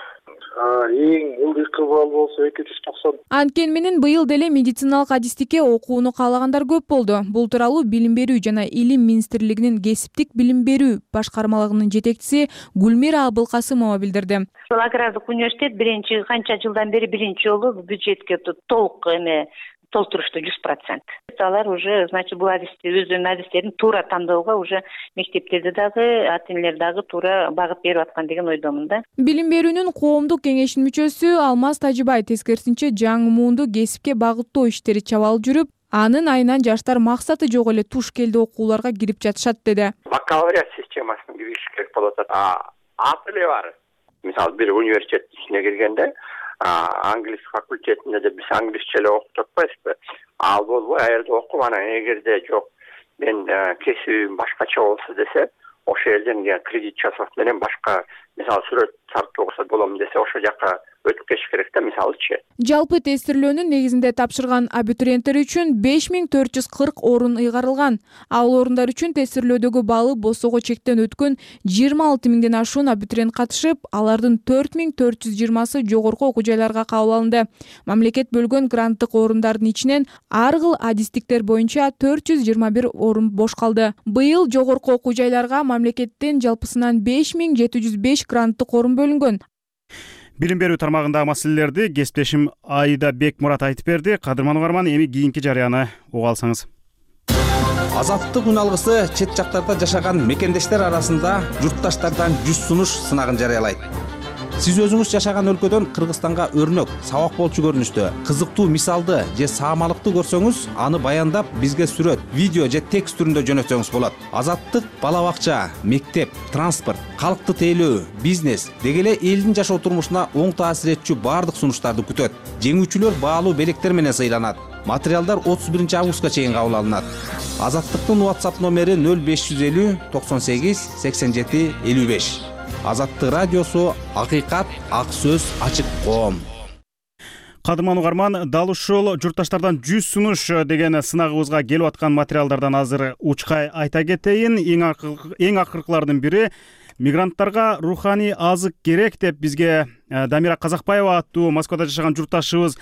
Эң ылдыйкы балл болсо эки жүз токсон. Анткени менен быйыл деле медициналык адистикке окууну каалагандар көп болду. Бул тууралуу Билим берүү жана Илим министрлигинин кесиптик билим берүү башкармалыгынын жетекчиси Гүлмира Абылкасымова билдирди. Ушул агрардык университет биринчи канча жылдан бери биринчи жолу бюджетке толук эме толтурушту жүз процент. Алар уже, значит, бул адисти өзүнүн адистерин туура тандоого уже мектептерде дагы, ата энелер дагы туура багыт берип аткан деген ойдомун да. Билим берүүнүн коомдук кеңешинин мүчөсү Алмаз Тажыбай тескерисинче жаңы муунду кесипке багыттоо иштери чабал жүрүп, анын айынан жаштар максаты жок эле туш келди окууларга кирип жатышат деди. Бакалавриат системасына кириш керек болот. Аты эле бар. Мисалы бир университет ичине киргенде англис факультетинде де биз англисче эле окуп жатпайбызбы? Ал болбой, а жерде окуп, анан эгерде жок, мен кесибим башкача болсо десе, ошол жерден кредит жасап менен башка, мисалы сүрөт тартууга болом десе, ошол жака өтүп кетиш керек да, мисалычы. Жалпы тестирлөөнүн негизинде тапшырган абитуриенттер үчүн беш миң төрт жүз кырк орун ыйгарылган. Ал орундар үчүн тестирлөөдөгү баллы босого чектен өткөн жыйырма алты миңден ашуун абитуриент катышып, алардын төрт миң төрт жүз жыйырмасы жогорку окуу жайларга кабыл алынды. Мамлекет бөлгөн гранттык орундардын ичинен ар кыл адистиктер боюнча төрт жүз жыйырма бир орун бош калды. Быйыл жогорку окуу жайларга мамлекеттен жалпысынан беш миң жети жүз беш гранттык орун бөлүнгөн. Билим берүү тармагындагы маселелерди кесиптешим Айда Бекмурат айтып берди. Кадырман угарман, эми кийинки жарыяны угуп алсаңыз. Азаттык үн алгысы чет жактарда жашаган мекендештер арасында журтташтардан жүз сунуш сынагын жарыялайт. Сиз өзүңүз жашаган өлкөдөн Кыргызстанга өрнөк, сабак болчу көрүнүштө, кызыктуу мисалды же саамалыкты көрсөңүз, аны баяндап бизге сүрөт, видео же текст түрүндө жөнөтсөңүз болот. Азаттык бала бакча, мектеп, транспорт, калкты тейлөө, бизнес деги эле элдин жашоо турмушуна оң таасир этчү баардык сунуштарды күтөт. Жеңүүчүлөр баалуу белектер менен сыйланат. Материалдар отуз биринчи августка чейин кабыл алынат. Азаттыктын WhatsApp номери нөл беш жүз элүү токсон сегиз сексен жети элүү беш. Азаттык радиосу, акыйкат, ак сөз, ачык коом. Кадырман угарман, дал ушул журтташтардан жүз сунуш деген сынагыбызга келип аткан материалдардан азыр учкай айта кетейин. Эң акыркылардын бири мигранттарга руханий азык керек деп бизге Дамира Казакбаева аттуу Москвада жашаган журтташыбыз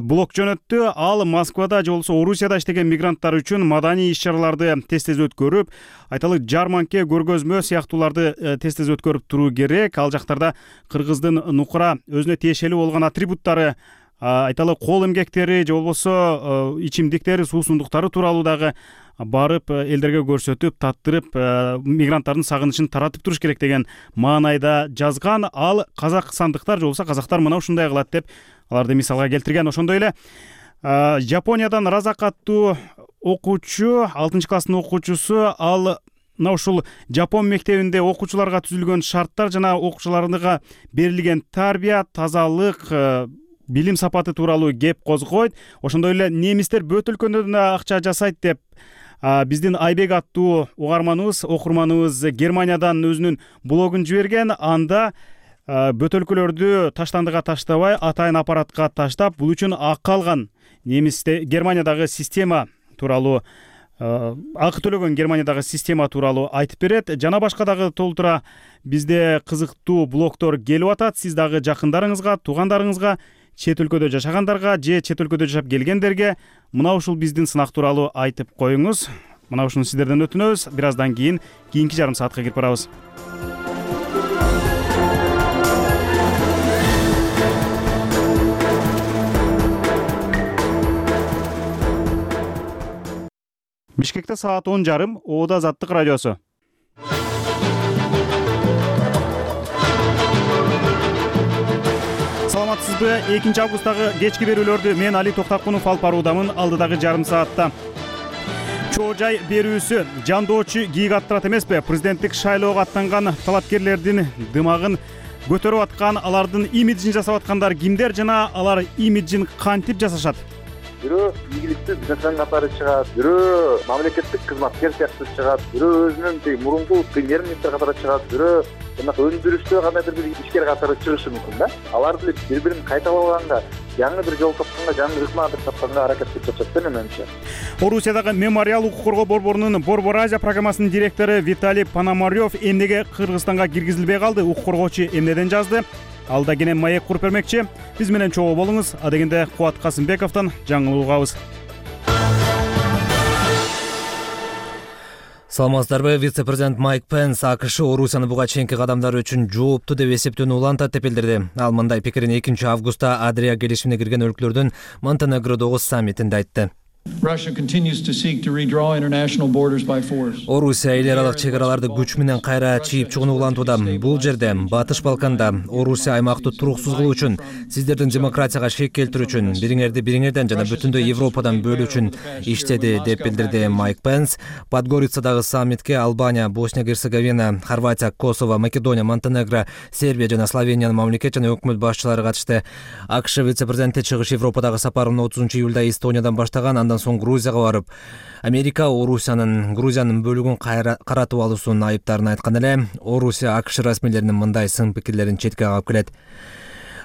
блог жөнөттү. Ал Москвада же болбосо Орусияда иштеген мигранттар үчүн маданий иш-чараларды тез-тез өткөрүп, айталы жарманке, көргөзмө сыяктууларды тез-тез өткөрүп туруу керек. Ал жактарда кыргыздын нукура өзүнө тиешелүү болгон атрибуттары, айталы кол эмгектери же болбосо ичимдиктери, суусундуктары тууралуу дагы барып элдерге көрсөтүп, таттырып, мигранттардын сагынычын таратып туруш керек деген маанайда жазган. Ал казак сандыктар же болбосо казактар мына ушундай кылат деп аларды мисалга келтирген. Ошондой эле Жапониядан Разак аттуу окуучу, алтынчы класстын окуучусу, ал мына ушул Жапон мектебинде окуучуларга түзүлгөн шарттар жана окуучуларга берилген тарбия, тазалык, билим сапаты тууралуу кеп козгойт. Ошондой эле немистер бөт өлкөдөн акча жасайт деп биздин Айбек аттуу угарманыбыз, окурманыбыз Германиядан өзүнүн блогун жиберген. Анда бөтөлкөлөрдү таштандыга таштабай, атайын аппаратка таштап, бул үчүн акы алган немисте Германиядагы система тууралуу, акы төлөгөн Германиядагы система тууралуу айтып берет. Жана башка дагы толтура бизде кызыктуу блогдор келип атат. Сиз дагы жакындарыңызга, туугандарыңызга, чет өлкөдө жашагандарга же чет өлкөдө жашап келгендерге мына ушул биздин сынак тууралуу айтып коюңуз. Мына ушуну сиздерден өтүнөбүз. Бир аздан кийин кийинки жарым саатка кирип барабыз. Бишкекте саат он жарым, Оода Азаттык радиосу. Саламатсызбы? экинчи августтагы кечки берүүлөрдү мен Али Токтакунов алып баруудамын. Алдыдагы жарым саатта чоо жай берүүсү жандоочу кийик аттырат эмеспи? Президенттик шайлоого аттанган талапкерлердин дымагын көтөрүп аткан, алардын имиджин жасап аткандар кимдер жана алар имиджин кантип жасашат? Бирөө ийгиликтүү бизнесмен катары чыгат, бирөө мамлекеттик кызматкер сыяктуу чыгат, бирөө өзүнүн тиги мурунку премьер-министр катары чыгат, бирөө жанагы өндүрүштө кандайдыр бир ишкер катары чыгышы мүмкүн да. Алар деле бири-бирин кайталабаганга, жаңы бир жол тапканга, жаңы ыкма тапканга аракет кылып жатат да менимче. Орусиядагы Мемориал укук коргоо борборунун Борбор Азия программасынын директору Виталий Пономарев эмнеге Кыргызстанга киргизилбей калды? Укук коргоочу эмнеден жазды? Алда кенен маек куруп бермекчи. Биз менен чогуу болуңуз. Адегенде Кубат Касымбековдон жаңылык угабыз. Саламатсыздарбы? Вице-президент Майк Пенс АКШ Орусияны буга чейинки кадамдары үчүн жооптуу деп эсептөөнү улантат деп билдирди. Ал мындай пикирин экинчи августта Адрия келишимине кирген өлкөлөрдүн Монтенегродогу саммитинде айтты. Орусия эл аралык чек-араларды күч менен кайра чийип чыгууну улантууда. Бул жерде, Батыш Балканда, Орусия аймакты туруксуз кылуу үчүн, сиздердин демократияга шек келтирүү үчүн, бириңерди бириңерден жана бүтүндөй Европадан бөлүү үчүн иштеди деп билдирди Майк Пенс. Подгорицадагы саммитке Албания, Босния Герцеговина, Хорватия, Косово, Македония, Монтенегро, Сербия жана Словениянын мамлекет жана өкмөт башчылары катышты. АКШ вице-президенти чыгыш Европадагы сапарын отузунчу июлда Эстониядан баштаган, андан соң Грузияга барып, Америка Орусиянын Грузиянын бөлүгүн каратып алуусунун айыптарын айткан эле. Орусия АКШ расмийлеринин мындай сын пикирлерин четке кагып келет.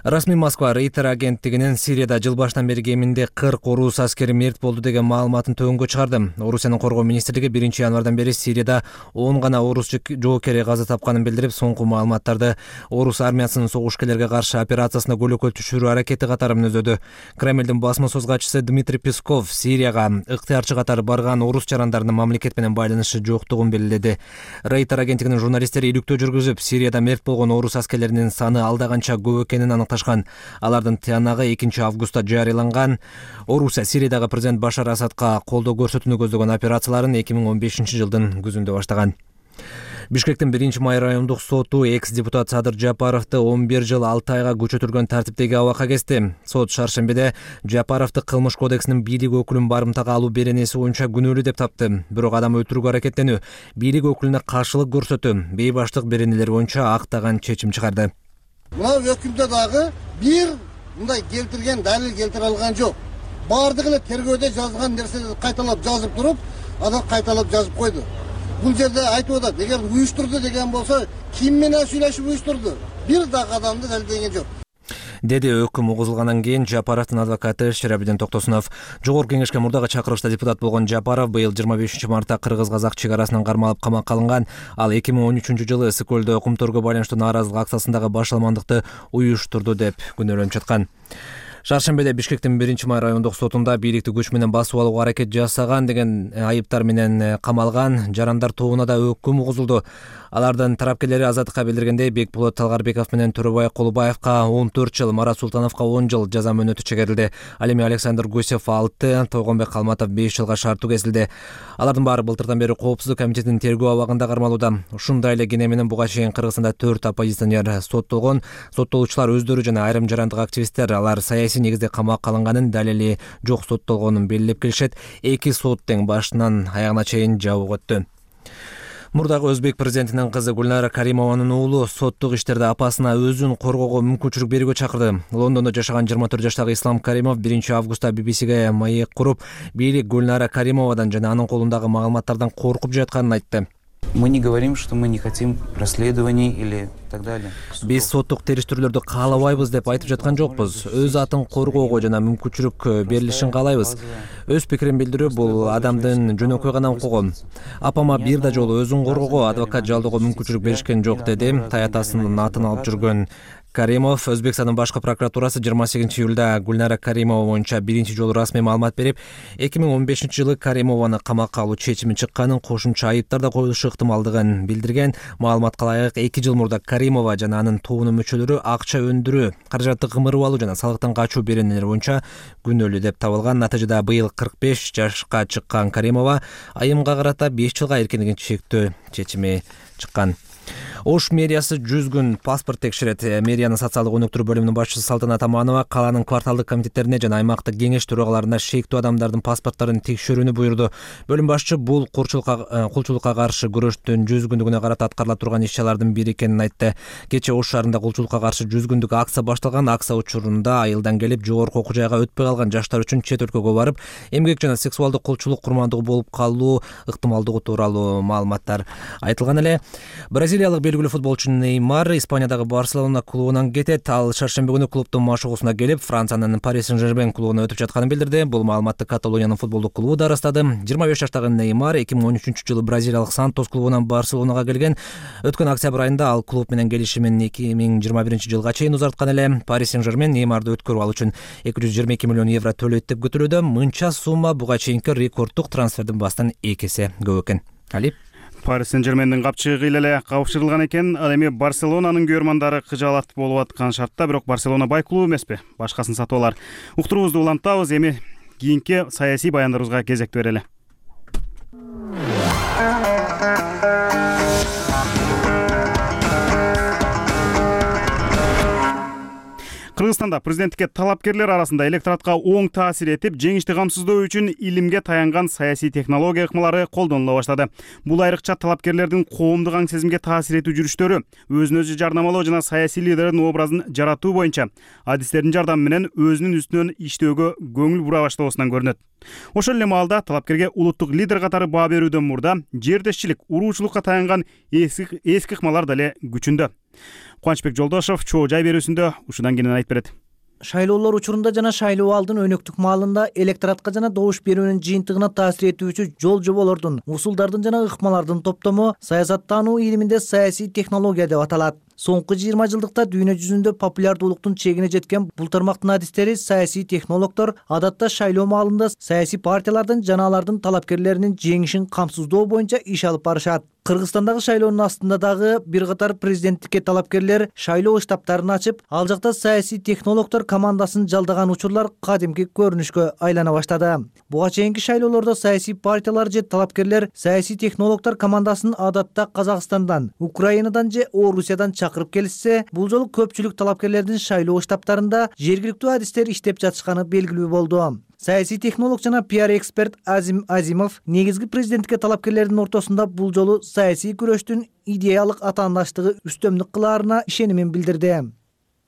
Расмий Москва Рейтер агенттигинин Сирияда жыл башынан бери кеминде кырк орус аскери мерт болду деген маалыматын төгөнгө чыгарды. Орусиянын коргоо министрлиги биринчи январдан бери Сирияда он гана орус жоокери каза тапканын билдирип, соңку маалыматтарды орус армиясынын согушкерлерге каршы операциясына көлөкө түшүрүү аракети катары мүнөздөдү. Кремлдин басма сөз катчысы Дмитрий Песков Сирияга ыктыярчы катары барган орус жарандарынын мамлекет менен байланышы жоктугун белгиледи. Рейтер агенттигинин журналисттери иликтөө жүргүзүп, Сирияда мерт болгон орус аскерлеринин саны алда канча көп экенин аныкташкан. Алардын тыянагы экинчи августта жарыяланган. Орусия Сириядагы президент Башар Асадка колдоо көрсөтүүнү көздөгөн операцияларын эки миң он бешинчи жылдын күзүндө баштаган. Бишкектин биринчи май райондук соту экс-депутат Садыр Жапаровду он бир жыл алты айга күчөтүлгөн тартиптеги абакка кести. Сот шаршембиде Жапаровду кылмыш кодексинин бийлик өкүлүн барымтага алуу беренеси боюнча күнөөлүү деп тапты. Бирок адам өлтүрүүгө аракеттенүү, бийлик өкүлүнө каршылык көрсөтүү, бейбаштык беренелери боюнча актаган чечим чыгарды. Мына өкүмдө дагы бир мындай келтирген далил келтире алган жок. Бардыгы эле тергөөдө жазылган нерселерди кайталап жазып туруп, анан кайталап жазып койду. Бул жерде айтып атат, эгер уюштурду деген болсо, ким менен сүйлөшүп уюштурду? Бир дагы адамды далилдеген жок. Деди өкүм угузулгандан кийин Жапаровдун адвокаты Ширабидин Токтосунов. Жогорку кеңешке мурдагы чакырылышта депутат болгон Жапаров быйыл жыйырма бешинчи мартта кыргыз-казак чек арасынан кармалып камакка алынган. Ал эки миң он үчүнчү жылы Ысык көлдө кумторго байланыштуу нааразылык акциясындагы башаламандыкты уюштурду деп күнөөлөнүп жаткан. Шаршембиде Бишкектин биринчи май райондук сотунда бийликти күч менен басып алууга аракет жасаган деген айыптар менен камалган жарандар тобуна да өкүм угузулду. Алардын тарапкерлери Азаттыкка билдиргендей, Бекболот Талгарбеков менен Төрөбай Кулубаевка он төрт жыл, Марат Султановго он жыл жаза мөөнөтү чегерилди. Ал эми Александр Гусев алты, Тойгонбек Калматов беш жылга шарттуу кесилди. Алардын баары былтырдан бери Коопсуздук комитетинин тергөө абагында кармалууда. Ушундай эле кене менен буга чейин Кыргызстанда төрт оппозиционер соттолгон. Соттолуучулар өздөрү жана айрым жарандык активисттер алар саясий негизде камакка алынганын, далили жок соттолгонун белгилеп келишет. Эки сот тең башынан аягына чейин жабык өттү. Мурдагы өзбек президентинин кызы Гүлнара Каримованын уулу соттук иштерде апасына өзүн коргоого мүмкүнчүлүк берүүгө чакырды. Лондондо жашаган жыйырма төрт жаштагы Ислам Каримов биринчи августта би би сиге маек куруп, бийлик Гүлнара Каримовадан жана анын колундагы маалыматтардан коркуп жатканын айтты. Мы не говорим, что мы не хотим расследований или так далее. Биз соттук териштирүүлөрдү каалабайбыз деп айтып жаткан жокпуз. Өз атын коргоого жана мүмкүнчүлүк берилишин каалайбыз. Өз пикирин билдирүү бул адамдын жөнөкөй гана укугу. Апама бир да жолу өзүн коргоого, адвокат жалдоого мүмкүнчүлүк беришкен жок, деди таятасынын атын алып жүргөн Каримов. Өзбекстандын башкы прокуратурасы жыйырма сегизинчи июлда Гүлнара Каримова боюнча биринчи жолу расмий маалымат берип, эки миң он бешинчи жылы Каримованы камакка алуу чечими чыкканын, кошумча айыптар да коюлушу ыктымалдыгын билдирген. Маалыматка ылайык, эки жыл мурда Каримова жана анын тобунун мүчөлөрү акча өндүрүү, каражатты кымырып алуу жана салыктан качуу беренелери боюнча күнөөлүү деп табылган. Натыйжада быйыл кырк беш жашка чыккан Каримова айымга карата беш жылга эркиндигин чектөө чечими чыккан. Ош мэриясы жүз күн паспорт текшерет. Мэриянын социалдык өнүктүрүү бөлүмүнүн башчысы Салтанат Аманова калаанын кварталдык комитеттерине жана аймактык кеңеш төрагаларына шектүү адамдардын паспорттарын текшерүүнү буйрду. Бөлүм башчы бул кулчулукка каршы күрөштүн жүз күндүгүнө карата аткарыла турган иш-чаралардын бири экенин айтты. Кечээ Ош шаарында кулчулукка каршы жүз күндүк акция башталган. Акция учурунда айылдан келип жогорку окуу жайга өтпөй калган жаштар үчүн чет өлкөгө барып, эмгек жана сексуалдык кулчулук курмандыгы болуп калуу ыктымалдыгы тууралуу маалыматтар айтылган эле. Бразилиялык белгилүү футболчу Неймар Испаниядагы Барселона клубунан кетет. Ал шаршемби күнү клубдун машыгуусуна келип, Франциянын Пари Сен-Жермен клубуна өтүп жатканын билдирди. Бул маалыматты Каталониянын футболдук клубу да ырастады. жыйырма беш жаштагы Неймар эки миң он үчүнчү жылы бразилиялык Сантос клубунан Барселонага келген. Өткөн октябрь айында ал клуб менен келишимин эки миң жыйырма биринчи жылга чейин узарткан эле. Пари Сен-Жермен Неймарды өткөрүп алуу үчүн эки жүз жыйырма эки миллион евро төлөйт деп күтүлүүдө. Мынча сумма буга чейинки рекорддук трансфердин басынан эки эсе көп экен. Али Пари Сен-Жермендин капчыгы эле кабышырылган экен. Ал эми Барселонанын көрмандары кыжаалат болуп аткан шартта, бирок Барселона бай клуб эмеспи? Башкасын сатып алар. Уктуруубузду улантабыз. Эми кийинки саясий баяндарыбызга кезек берели. Кыргызстанда президенттикке талапкерлер арасында электоратка оң таасир этип, жеңишти камсыздоо үчүн илимге таянган саясий технология ыкмалары колдонула баштады. Бул айрыкча талапкерлердин коомдук аң сезимге таасир этүү жүрүштөрү, өзүн өзү жарнамалоо жана саясий лидердин образын жаратуу боюнча адистердин жардамы менен өзүнүн үстүнөн иштөөгө көңүл бура баштоосунан көрүнөт. Ошол эле маалда талапкерге улуттук лидер катары баа берүүдөн мурда жердешчилик, уруучулукка таянган эски эски ыкмалар деле күчүндө. Кубанычбек Жолдошов чоо жай берүүсүндө ушудан кенен айтып берет. Шайлоолор учурунда жана шайлоо алдын өнөктүк маалында электоратка жана добуш берүүнүн жыйынтыгына таасир этүүчү жол жоболордун, усулдардын жана ыкмалардын топтому саясаттануу илиминде саясий технология деп аталат. Соңку жыйырма жылдыкта дүйнө жүзүндө популярдуулуктун чегине жеткен бул тармактын адистери саясий технологдор адатта шайлоо маалында саясий партиялардын жана алардын талапкерлеринин жеңишин камсыздоо боюнча иш алып барышат. Кыргызстандагы шайлоонун астында дагы бир катар президенттикке талапкерлер шайлоо штабтарын ачып, ал жакта саясий технологдор командасын жалдаган учурлар кадимки көрүнүшкө айлана баштады. Буга чейинки шайлоолордо саясий партиялар же талапкерлер саясий технологдор командасын адатта Казакстандан, Украинадан же Орусиядан чакырып келишсе, бул жолу көпчүлүк талапкерлердин шайлоо штабтарында жергиликтүү адистер иштеп жатышканы белгилүү болду. Саясий технолог жана пиар эксперт Азим Азимов негизги президенттикке талапкерлердин ортосунда бул жолу саясий күрөштүн идеялык атаандаштыгы үстөмдүк кылаарына ишенимин билдирди.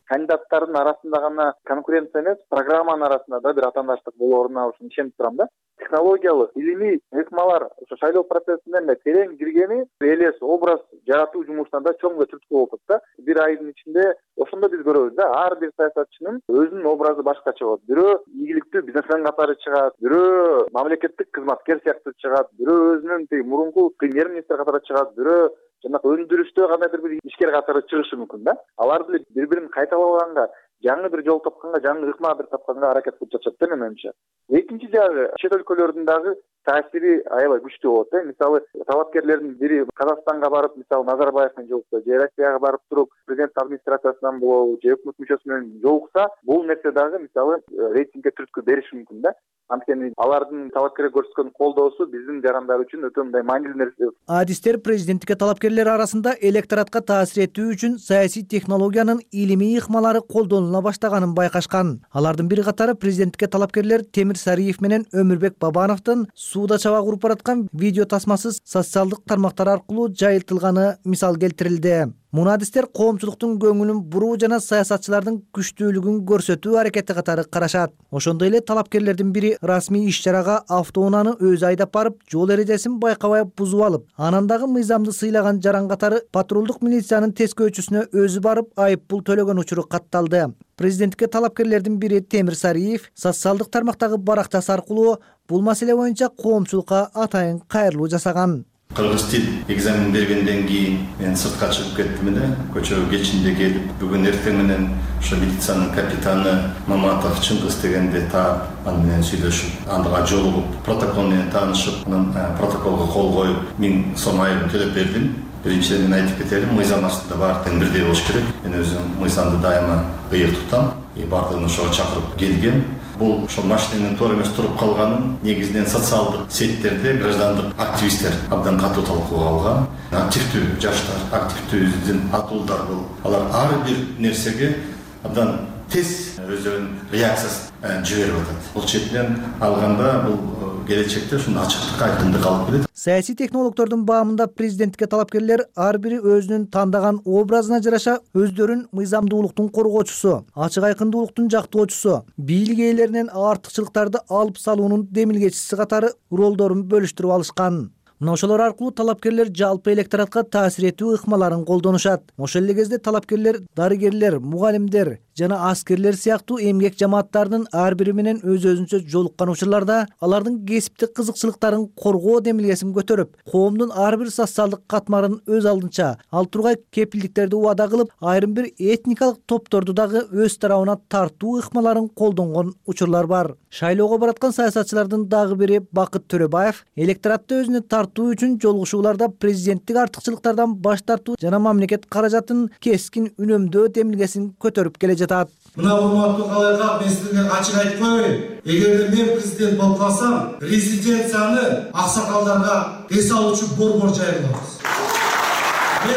Кандидаттардын арасында гана конкуренция эмес, программанын арасында да бир атаандаштык болооруна ушун ишенип турам да. Технологиялык, илимий ыкмалар ошо шайлоо процессине эле терең киргени элес образ жаратуу жумушуна да чоң түрткү болуп атат да. Бир айдын ичинде ошондо биз көрөбүз да, ар бир саясатчынын өзүнүн образы башкача болот. Бирөө ийгиликтүү бизнесмен катары чыгат, бирөө мамлекеттик кызматкер сыяктуу чыгат, бирөө өзүнүн тиги мурунку премьер-министр катары чыгат, бирөө жанагы өндүрүштө кандайдыр бир ишкер катары чыгышы мүмкүн да. Алар деле бири-бирин кайталаганга, жаңы бир жол тапканга, жаңы ыкма бир тапканга аракет кылып жатышат да менимче. Экинчи жагы чет өлкөлөрдүн дагы таасири аябай күчтүү болот да. Мисалы талапкерлердин бири Казакстанга барып, мисалы Назарбаев менен жолукса, же Россияга барып туруп президент администрациясынан болобу, же өкмөт мүчөсү менен жолукса, бул нерсе дагы мисалы рейтингге түрткү бериши мүмкүн да. Анткени алардын талапкерге көрсөткөн колдоосу биздин жарандар үчүн өтө мындай маанилүү нерсе. Адистер президенттикке талапкерлер арасында электоратка таасир этүү үчүн саясий технологиянын илимий ыкмалары колдонула баштаганын байкашкан. Алардын бир катары президенттикке талапкерлер Темир Сариев менен Өмүрбек Бабановдун сууда чабак уруп бараткан видео тасмасы социалдык тармактар аркылуу жайылтылганы мисал келтирилди. Муну адистер коомчулуктун көңүлүн буруу жана саясатчылардын күчтүүлүгүн көрсөтүү аракети катары карашат. Ошондой эле талапкерлердин бири расмий иш-чарага автоунааны өзү айдап барып, жол эрежесин байкабай бузуп алып, анан дагы мыйзамды сыйлаган жаран катары патрулдук милициянын тескөөчүсүнө өзү барып айып пул төлөгөн учуру катталды. Президентке талапкерлердин бири Темир Сариев социалдык тармактагы баракчасы аркылуу бул маселе боюнча коомчулукка атайын кайрылуу жасаган. Кыргыз тил экзамен бергенден кийин мен сыртка чыгып кеттим эле, көчөгө кечинде келип, бүгүн эртең менен ошо милициянын капитаны Маматов Чыңгыз дегенде таап, аны менен сүйлөшүп, андыга жолугуп, протокол менен таанышып, анан протоколго кол коюп, миң сом айыбын төлөп бердим. Биринчиден мен айтып кетелим, мыйзам астында баары тең бирдей болуш керек. Мен өзүм мыйзамды дайыма ыйык тутам. Баардыгын ошого чакырып келгем. Бул ошо машинанын туура эмес туруп калганын негизинен социалдык сеттерде граждандык активисттер абдан катуу талкууга алган. Активдүү жаштар, активдүү атуулдар бул. Алар ар бир нерсеге абдан тез өздөрүнүн реакциясын жиберип атат. Бул четинен алганда бул келечекте ушундай ачыктык, айкындык алып келет. Саясий технологдордун баамында президенттикке талапкерлер ар бири өзүнүн тандаган образына жараша өздөрүн мыйзамдуулуктун коргоочусу, ачык айкындуулуктун жактоочусу, бийлик ээлеринен артыкчылыктарды алып салуунун демилгечиси катары ролдорун бөлүштүрүп алышкан. Мына ошолор аркылуу талапкерлер жалпы электоратка таасир этүү ыкмаларын колдонушат. Ошол эле кезде талапкерлер дарыгерлер, мугалимдер жана аскерлер сыяктуу эмгек жамааттарынын ар бири менен өз-өзүнчө жолуккан учурларда алардын кесиптик кызыкчылыктарын коргоо демилгесин көтөрүп, коомдун ар бир социалдык катмарын өз алдынча ал тургай кепилдиктерди убада кылып, айрым бир этникалык топторду дагы өз тарабына тартуу ыкмаларын колдонгон учурлар бар. Шайлоого бараткан саясатчылардын дагы бири Бакыт Төрөбаев электоратты өзүнө тартуу үчүн жолугушууларда президенттик артыкчылыктардан баш тартуу жана мамлекет каражатын кескин үнөмдөө демилгесин көтөрүп келе жатат. Мына урматтуу калайкак, мен силерге ачык айтып коеюн. Эгерде мен президент болуп калсам, резиденцияны аксакалдарга эс алуучу борбор жайылабыз.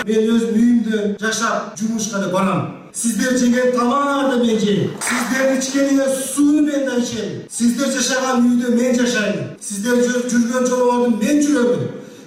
Мен өз үйүмдө жашап, жумушка да барам. Сиздер жеген тамаарды мен жейм. Сиздер ичкениңер сууну мен да ичем. Сиздер жашаган үйдө мен жашайм. Сиздер жүргөн жолдордо мен жүрөмүн.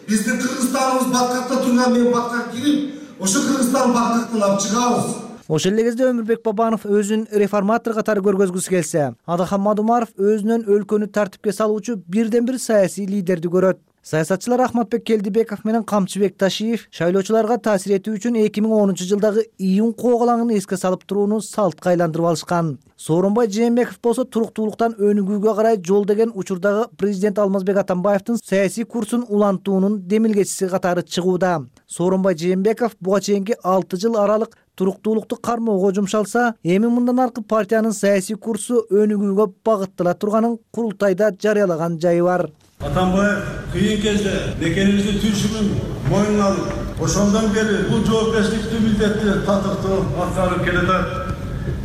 Биздин Кыргызстаныбыз баткакта турган, мен баткакка кирип, ошо Кыргызстан баткактан алып чыгабыз. Ошол эле кезде Өмүрбек Бабанов өзүн реформатор катары көргөзгүсү келсе, Адахан Мадумаров өзүнөн өлкөнү тартипке салуучу бирден бир саясий лидерди көрөт. Саясатчылар Ахматбек Келдибеков менен Камчыбек Ташиев шайлоочуларга таасир этүү үчүн эки миң онунчу жылдагы июнь коогалаңын эске салып турууну салтка айландырып алышкан. Сооронбай Жээнбеков болсо туруктуулуктан өнүгүүгө карай жол деген учурдагы президент Алмазбек Атамбаевдин саясий курсун улантуунун демилгечиси катары чыгууда. Сооронбай Жээнбеков буга чейинки алты жыл аралык туруктуулукту кармоого жумшалса, эми мындан аркы партиянын саясий курсу өнүгүүгө багыттала турганын курултайда жарыялаган жайы бар. Атамбаев кыйын кезде мекенибиздин түйшүгүн мойнуна алып, ошондон бери бул жоопкерчиликтүү милдетти татыктуу аткарып келатат.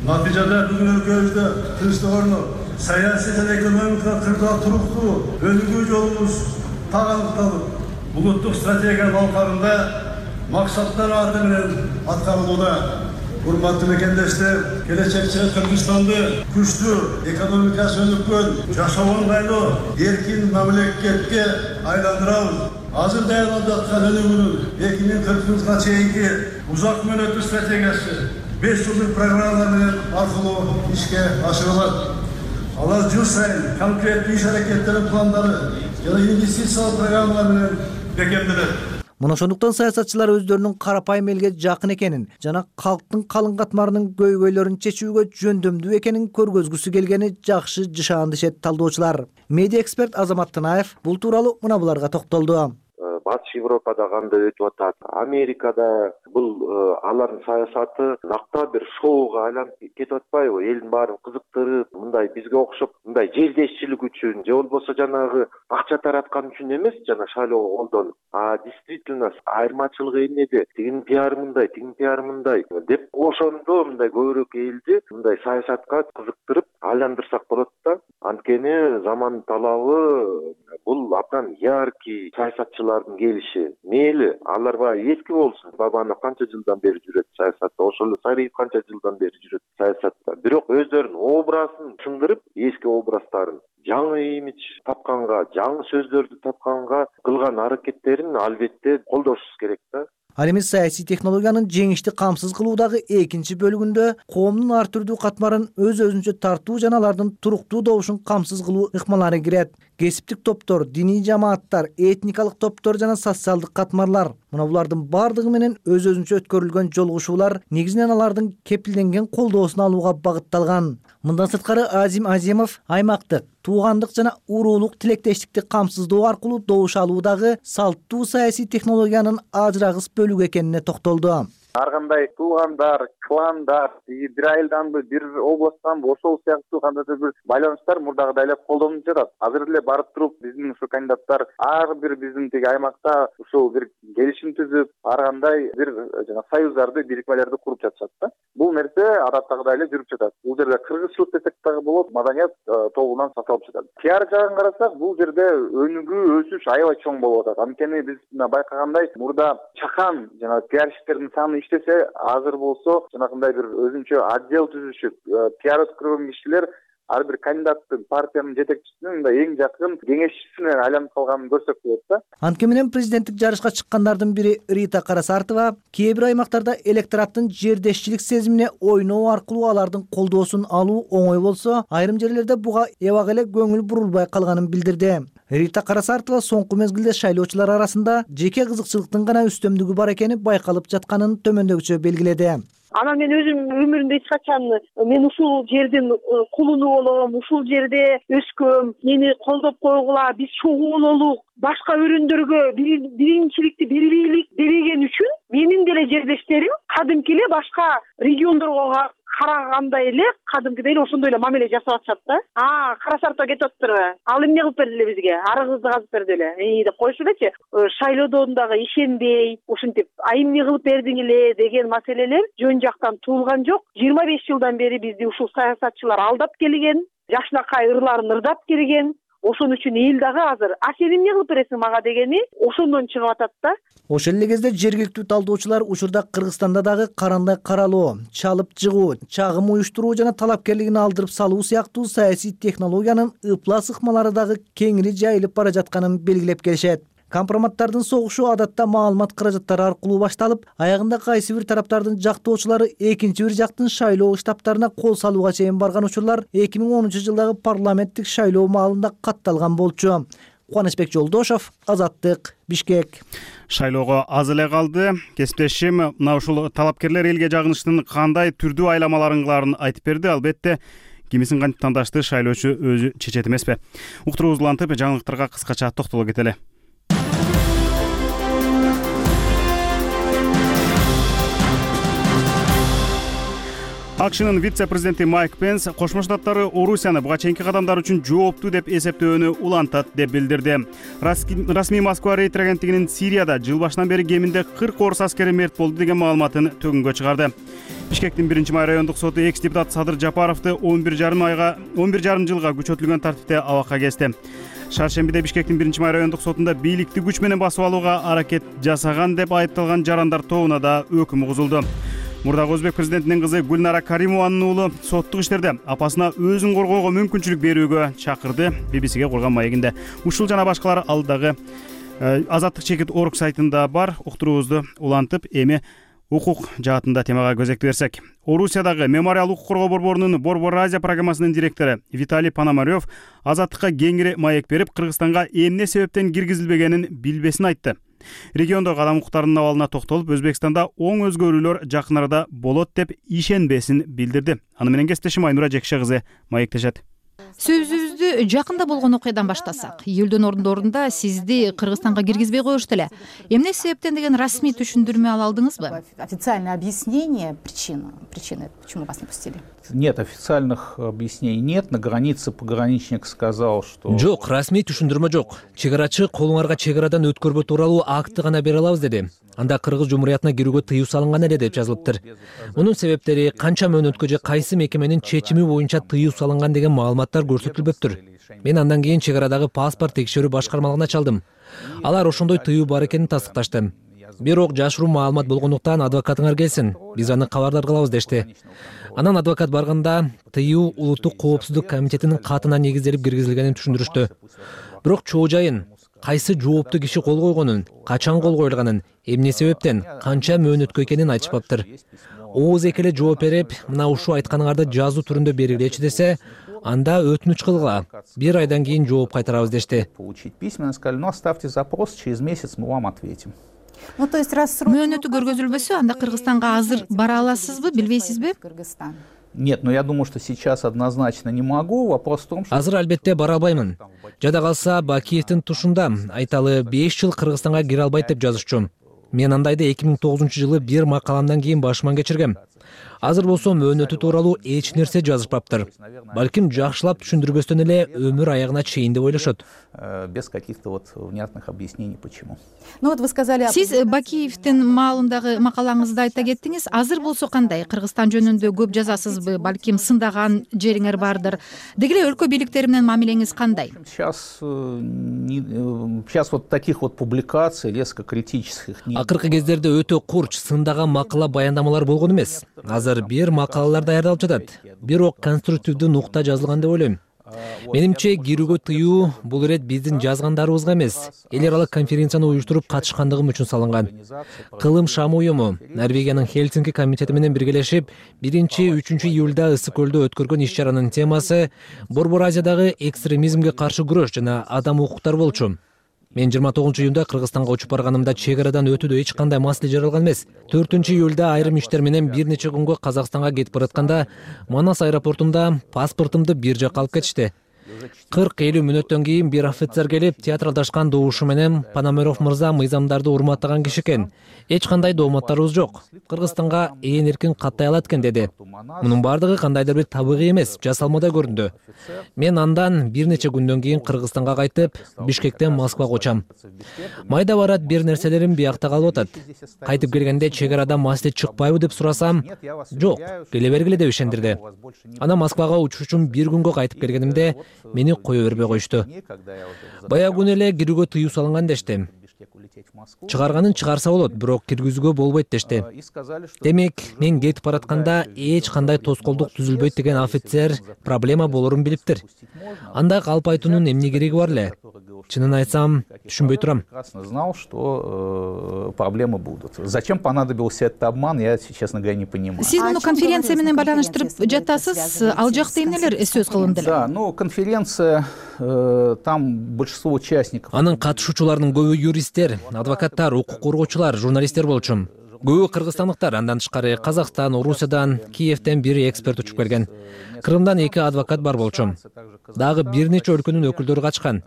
Натыйжада бүгүн өлкөбүздө тынчтык орнуп, саясий жана экономикалык кырда туруктуу өнүгүү жолубуз таганкталып, улуттук стратегиянын алкагында максаттар аты менен аткарылууда. Урматтуу мекендештер, келечекчи Кыргызстанды күчтүү экономикасы өнүккөн, жашоого ыңгайлуу, эркин мамлекетке айландырабыз. Азыр даярдап жаткан өнүгүүнүн эки миң кыркынчы жылга чейинки узак мөөнөттүү стратегиясы беш жылдык программалар менен аркылуу ишке ашырылат. Алар жыл сайын конкреттүү иш аракеттердин пландары жана инвестициялык программалар менен бекемделет. Мына ошондуктан саясатчылар өздөрүнүн карапайым элге жакын экенин жана калктын калың катмарынын көйгөйлөрүн чечүүгө жөндөмдүү экенин көргөзгүсү келгени жакшы жышаан дешет талдоочулар. Медиа эксперт Азамат Тынаев бул тууралуу мына буларга токтолду. Батыш Европада кандай өтүп атат, Америкада бул алардын саясаты накта бир шоуга айланып кетип атпайбы? Элдин баарын кызыктырып, мындай бизге окшоп, мындай жердешчилик үчүн же болбосо жанагы акча тараткан үчүн эмес, жана шайлоого колдонуп. А действительно айырмачылыгы эмнеде? Тигинин пиары мындай, тигинин пиары мындай деп ошондо мындай көбүрөөк элди мындай саясатка кызыктырып айландырсак болот да. Анткени заман талабы бул абдан яркий саясатчылардын келиши. Мейли, алар баягы эски болсун. Бабанов канча жылдан бери жүрөт саясатта, ошол эле Сариев канча жылдан бери жүрөт саясатта. Бирок өздөрүнүн образын сындырып, эски образдарын жаңы имидж тапканга, жаңы сөздөрдү тапканга кылган аракеттерин албетте колдошубуз керек да. Ал эми саясий технологиянын жеңишти камсыз кылуудагы экинчи бөлүгүндө коомдун ар түрдүү катмарын өз өзүнчө тартуу жана алардын туруктуу добушун камсыз кылуу ыкмалары кирет. Кесиптик топтор, диний жамааттар, этникалык топтор жана социалдык катмарлар. Мына булардын бардыгы менен өз өзүнчө өткөрүлгөн жолугушуулар негизинен алардын кепилденген колдоосун алууга багытталган. Мындан сырткары Азим Азимов аймактык, туугандык жана уруулук тилектештикти камсыздоо аркылуу добуш алуудагы салттуу саясий технологиянын ажырагыс бөлүгү экенине токтолду. Ар кандай туугандар, кландар, бир айылданбы, бир областтанбы, ошол сыяктуу кандайдыр бир байланыштар мурдагыдай эле колдонуп жатат. Азыр эле барып туруп биздин ушу кандидаттар ар бир биздин тиги аймакта ушул бир келишим түзүп, ар кандай бир жана союздарды, бирикмелерди куруп жатышат да. Бул нерсе адаттагыдай эле жүрүп жатат. Бул жерде кыргызчылык десек дагы болот, маданият тобунан саталып жатат. Пиар жагын карасак, бул жерде өнүгүү, өсүш аябай чоң болуп атат. Анткени биз байкагандай мурда чакан жана пиарщиктердин саны иштесе, азыр болсо жанагындай бир өзүнчө отдел түзүшүп, пиар өткөргөн кишилер ар бир кандидаттын, партиянын жетекчисинин мындай эң жакын кеңешчисине айланып калганын көрсөк болот да. Анткени менен президенттик жарышка чыккандардын бири Рита Карасартова кээ бир аймактарда электораттын жердешчилик сезимине ойноо аркылуу алардын колдоосун алуу оңой болсо, айрым жерлерде буга эбак эле көңүл бурулбай калганын билдирди. Рита Карасартова соңку мезгилде шайлоочулар арасында жеке кызыкчылыктын гана үстөмдүгү бар экени байкалып жатканын төмөндөгүчө белгиледи. Анан мен өзүм өмүрүмдө эч качан мен ушул жердин кулуну болом, ушул жерде өскөм, мени колдоп койгула, биз чогуу бололук, башка өрөөндөргө биринчиликти берилейlik дебеген үчүн менин деле жердештерим кадимки эле башка региондорго карагандай эле кадимкидей эле ошондой эле мамиле жасап атышат да. А, Карасартова кетип атыптырбы? Ал эмне кылып берди эле бизге? Арыгыбызды казып берди эле. И деп коюшу элечи. Шайлоодон дагы ишенбей, ушинтип, а эмне кылып бердиң эле деген маселелер жөн жактан туулган жок. жыйырма беш жылдан бери бизди ушул саясатчылар алдап келген, жакшынакай ырларын ырдап келген. Ошон үчүн эл дагы азыр а сен эмне кылып бересиң мага дегени ошондон чыгып атат да. Ошол эле кезде жергиликтүү талдоочулар учурда Кыргызстанда дагы карандай каралоо, чалып жыгуу, чагым уюштуруу жана талапкерлигин алдырып салуу сыяктуу саясий технологиянын ыплас ыкмалары дагы кеңири жайылып бара жатканын белгилеп келишет. Компроматтардын согушу адатта маалымат каражаттары аркылуу башталып, аягында кайсы бир тараптардын жактоочулары экинчи бир жактын шайлоо штабтарына кол салууга чейин барган учурлар эки миң онунчу жылдагы парламенттик шайлоо маалында катталган болчу. Кубанычбек Жолдошов, Азаттык, Бишкек. Шайлоого аз эле калды. Кесиптешим мына ушул талапкерлер элге жагынычтын кандай түрдүү айламаларын кылаарын айтып берди. Албетте кимисин кантип тандашты шайлоочу өзү чечет эмеспи. Уктуруубузду улантып, жаңылыктарга кыскача токтоло кетели. АКШнын вице-президенти Майк Пенс Кошмо Штаттары Орусияны буга чейинки кадамдар үчүн жооптуу деп эсептөөнү улантат деп билдирди. Расмий Москва рейд агенттигинин Сирияда жыл башынан бери кеминде кырк орус аскери мерт болду деген маалыматын төгүнгө чыгарды. Бишкектин биринчи май райондук соту экс-депутат Садыр Жапаровду он бир жарым айга он бир жарым жылга күчөтүлгөн тартипте абакка кести. Шаршембиде Бишкектин биринчи май райондук сотунда бийликти күч менен басып алууга аракет жасаган деп айыпталган жарандар тобуна да өкүм угузулду. Мурдагы өзбек президентинин кызы Гүлнара Каримованын уулу соттук иштерде апасына өзүн коргоого мүмкүнчүлүк берүүгө чакырды. би би си-ге курган маегинде. Ушул жана башкалар алдагы Азаттык чекит орг сайтында бар. Уктуруубузду улантып, эми укук жаатында темага көзөктү берсек. Орусиядагы мемориал укук коргоо борборунун Борбор Азия программасынын директору Виталий Пономарев Азаттыкка кеңири маек берип, Кыргызстанга эмне себептен киргизилбегенин билбесин айтты. Региондогу адам укуктарынын абалына токтолуп, Өзбекстанда оң өзгөрүүлөр жакын арада болот деп ишенбесин билдирди. Аны менен кесиптешим Айнура Жекше кызы маектешет. Сөзүбүздү жакында болгон окуядан баштасак, июлдун ордорунда сизди Кыргызстанга киргизбей коюшту эле. Эмне себептен деген расмий түшүндүрмө ала алдыңызбы? Официальное объяснение причина причины почему вас не пустили? Нет, официальных объяснений нет. На границе пограничник сказал, что... Жок, расмий түшүндүрмө жок. Чегарачы колуңарга чегарадан өткөрбө тууралуу акты гана бере алабыз деди. Анда Кыргыз Жумуриятына кирүүгө тыюу салынган эле деп жазылыптыр. Мунун себептери канча мөөнөткө же кайсы мекеменин чечими боюнча тыюу салынган деген маалыматтар көрсөтүлбөптүр. Мен андан кийин чегарадагы паспорт текшерүү башкармалыгына чалдым. Алар ошондой тыюу бар экенин тастыкташты. Бирок жашыруу маалымат болгондуктан адвокатыңар келсин, биз аны кабардар кылабыз дешти. Анан адвокат барганда тыюу улуттук коопсуздук комитетинин катына негизделип киргизилгенин түшүндүрүштү. Бирок чоо жайын, кайсы жооптуу киши кол койгонун, качан кол коюлганын, эмне себептен, канча мөөнөткө экенин айтышпаптыр. Ооз эки эле жооп берип, мына ушул айтканыңарды жазуу түрүндө бергилечи десе, анда өтүнүч кылгыла. Бир айдан кийин жооп кайтарабыз дешти. Письменно сказали, ну оставьте запрос, через месяц мы вам ответим. Мөөнөтү көргөзүлбөсө, анда Кыргызстанга азыр бара аласызбы, билбейсизби? Нет, но я думаю, что сейчас однозначно не могу. Вопрос в том, что... Азыр албетте бара албаймын. Жада калса Бакиевдин тушунда айталы беш жыл Кыргызстанга кире албайт деп жазышчу. Мен андайды эки миң тогузунчу жылы бир макаламдан кийин башыман кечиргем. Азыр болсо мөөнөтү тууралуу эч нерсе жазышпаптыр. Балким жакшылап түшүндүрбөстөн эле өмүр аягына чейин деп ойлошот. Без каких-то вот внятных объяснений почему. Ну вот вы сказали... Сиз Бакиевдин маалындагы макалаңызда айта кеттиңиз. Азыр болсо кандай? Кыргызстан жөнүндө көп жазасызбы? Балким сындаган жериңер бардыр. Деги эле өлкө бийликтери менен мамилеңиз кандай? Сейчас сейчас вот таких вот публикаций, резко критических. Акыркы кездерде өтө курч, сындаган макала баяндамалар болгон эмес. Азыр бир макалалар даярдалып жатат. Бирок конструктивдүү нукта жазылган деп ойлойм. Менимче кирүүгө тыюу бул ирет биздин жазгандарыбызга эмес, эл аралык конференцияны уюштуруп катышкандыгым үчүн салынган. Кылым Шам уюму Норвегиянын Хельсинки комитети менен биргелешип, биринчи үчүнчү июлда Ысык көлдө өткөргөн иш-чаранын темасы Борбор Азиядагы экстремизмге каршы күрөш жана адам укуктары болчу. Мен жыйырма тогузунчу июнда Кыргызстанга учуп барганымда чек арадан өтүүдө эч кандай маселе жаралган эмес. төртүнчү июлда айрым иштер менен бир нече күнгө Казакстанга кетип баратканда Манас аэропортунда паспортумду бир жакка алып кетишти. кырк элүү мүнөттөн кийин бир офицер келип, театралдашкан добушу менен Пономарев мырза мыйзамдарды урматтаган киши экен. Эч кандай дооматтарыбыз жок. Кыргызстанга ээн эркин каттай алат экен деди. Мунун бардыгы кандайдыр бир табигый эмес, жасалмадай көрүндү. Мен андан бир нече күндөн кийин Кыргызстанга кайтып, Бишкектен Москвага учам. Майда барат бир нерселерим биякта калып атат. Кайтып келгенде чек арадан маселе чыкпайбы деп сурасам, жок, келе бергиле деп ишендирди. Анан Москвага учуш үчүн бир күнгө кайтып келгенимде мени кое бербей коюшту. Баягы күнү эле кирүүгө тыюу салынган дешти. Чыгарганын чыгарса болот, бирок киргизүүгө болбойт дешти. Демек, мен кетип баратканда эч кандай тоскоолдук түзүлбөйт деген офицер проблема болорун билиптир. Андай калп айтуунун эмне кереги бар эле? Чынын айтсам, түшүнбөй турам. Знал, что проблемы будут. Зачем понадобился этот обман, я, честно говоря, не понимаю. Сиз муну конференция менен байланыштырып жатасыз, ал жакта эмнелер сөз кылынды эле? Да, ну конференция, там большинство участников. Анын катышуучуларынын көбү юристтер, адвокаттар, укук коргоочулар, журналисттер болчу. Көбү кыргызстандыктар, андан тышкары Казакстан, Орусиядан, Киевден бир эксперт учуп келген. Крымдан эки адвокат бар болчу. Дагы бир нече өлкөнүн өкүлдөрү катышкан.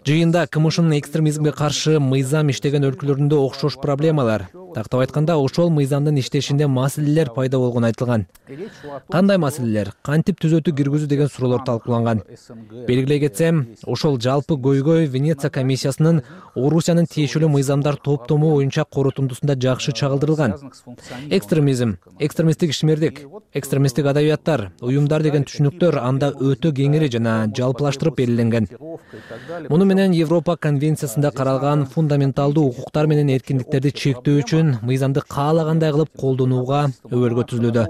Жыйында КМШнын экстремизмге каршы мыйзам иштеген өлкөлөрүндө окшош проблемалар, тактап айтканда ошол мыйзамдын иштешинде маселелер пайда болгону айтылган. Кандай маселелер, кантип түзөтүү киргизүү деген суроолор талкууланган. Белгилей кетсем, ошол жалпы көйгөй Венеция комиссиясынын Орусиянын тиешелүү мыйзамдар топтому боюнча корутундусунда жакшы чагылдырылган. Экстремизм, экстремисттик ишмердик, экстремисттик адабияттар, уюмдар деген түшүнүктөр анда өтө кеңири жана жалпылаштырып белгиленген. Муну менен Европа конвенциясында каралган фундаменталдуу укуктар менен эркиндиктерди чектөө үчүн мыйзамды каалагандай кылып колдонууга өбөлгө түзүлүүдө.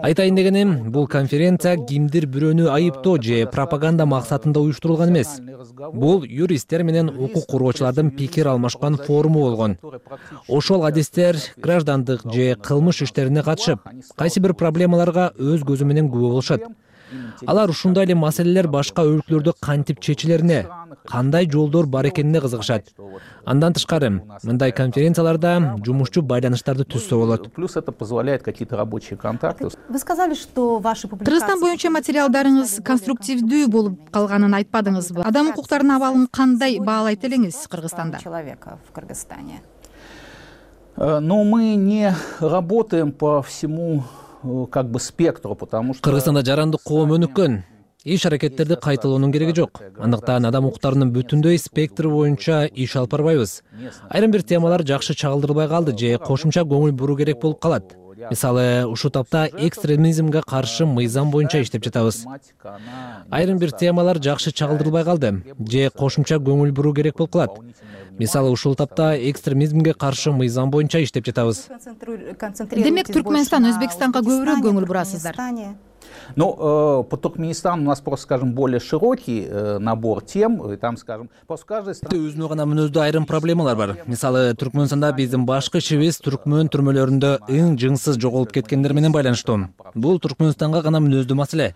Айтайын дегеним, бул конференция кимдир бирөөнү айыптоо же пропаганда максатында уюштурулган эмес. Бул юристтер менен укук коргоочулардын пикир алмашкан форуму болгон. Ошол адистер граждандык же кылмыш иштерине катышып, кайсы бир проблемаларга өз көзү менен күбө болушат. Алар ушундай эле маселелер башка өлкөлөрдө кантип чечилерине, кандай жолдор бар экенине кызыгышат. Андан тышкары, мындай конференцияларда жумушчу байланыштарды түзсө болот. Плюс это позволяет какие-то рабочие контакты. Вы сказали, что ваши публикации... Кыргызстан боюнча материалдарыңыз конструктивдүү болуп калганын айтпадыңызбы? Адам укуктарынын абалын кандай баалайт элеңиз Кыргызстанда? Человека в Кыргызстане. Но мы не работаем по всему как бы спектру, потому что... Кыргызстанда жарандык коом өнүккөн. Иш аракеттерди кайталоонун кереги жок. Андыктан адам укуктарынын бүтүндөй спектри боюнча иш алып барбайбыз. Айрым бир темалар жакшы чагылдырылбай калды же кошумча көңүл буруу керек болуп калат. Мисалы, ушул тапта экстремизмге каршы мыйзам боюнча иштеп жатабыз. Айрым бир темалар жакшы чагылдырылбай калды же кошумча көңүл буруу керек болуп калат. Мисалы ушул тапта экстремизмге каршы мыйзам боюнча иштеп жатабыз. Демек Түркмөнстан Өзбекстанга көбүрөөк көңүл бурасыздар. Ну, э, по Туркменистану у нас просто, скажем, более широкий э, набор тем, и там, скажем, после каждой страны... Өзүнө гана мүнөздүү айрым проблемалар бар. Мисалы, Түркмөнстанда биздин башкы ишибиз түркмөн түрмөлөрүндө эң жыңсыз жоголуп кеткендер менен байланыштуу. Бул Түркмөнстанга гана мүнөздүү маселе.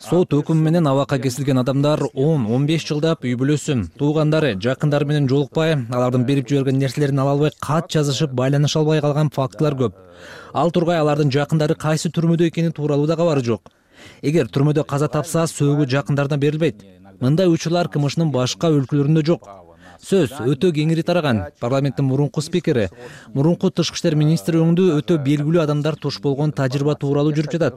Сот өкүмү менен абакка кесилген адамдар он он беш жылдап үй бүлөсү, туугандары, жакындары менен жолукпай, алардын берип жиберген нерселерин ала албай кат жазышып, байланыша албай калган фактылар көп. Ал тургай алардын жакындары кайсы түрмөдө экени тууралуу да кабары жок. Эгер түрмөдө каза тапса, сөөгү жакындарына берилбейт. Мындай учурлар КМШнын башка өлкөлөрүндө жок. Сөз өтө кеңири тараган. Парламенттин мурунку спикери, мурунку тышкы иштер министри өңдүү өтө белгилүү адамдар туш болгон тажрыйба тууралуу жүрүп жатат.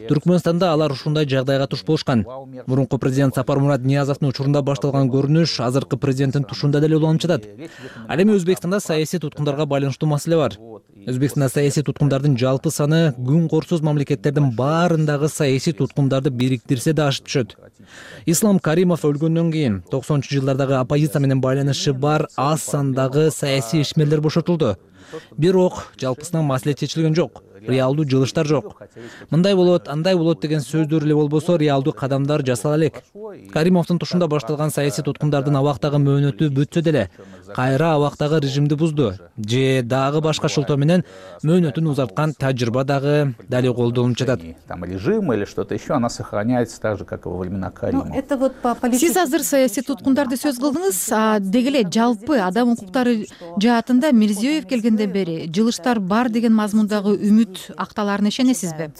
Түркмөнстанда алар ушундай жагдайга туш болушкан. Мурунку президент Сапармурат Ниязовдун учурунда башталган көрүнүш азыркы президенттин тушунда деле уланып жатат. Ал эми Өзбекстанда саясий туткундарга байланыштуу маселе бар. Өзбекстанда саясий туткундардын жалпы саны күн корсуз мамлекеттердин баарындагы саясий туткундарды бириктирсе да ашып түшөт. Ислам Каримов өлгөндөн кийин токсонунчу жылдардагы оппозиция менен байланышы бар аз сандагы саясий ишмерлер бошотулду. Бирок жалпысынан маселе чечилген жок. Реалдуу жылыштар жок. Мындай болот, андай болот деген сөздөр эле болбосо, реалдуу кадамдар жасала элек. Каримовдун тушунда башталган саясий туткундардын абактагы мөөнөтү бүтсө деле, кайра абактагы режимди бузду. Же дагы башка шылтоо менен мөөнөтүн узарткан тажрыйба дагы дали колдонулуп жатат. Там режим или что-то еще, она сохраняется так же, как и во времена Каримова. Сиз азыр саясий туткундарды сөз кылдыңыз, а деги эле жалпы адам укуктары жаатында Мирзиёев келгенден бери жылыштар бар деген мазмундагы үмүт акталарына ишенесизби?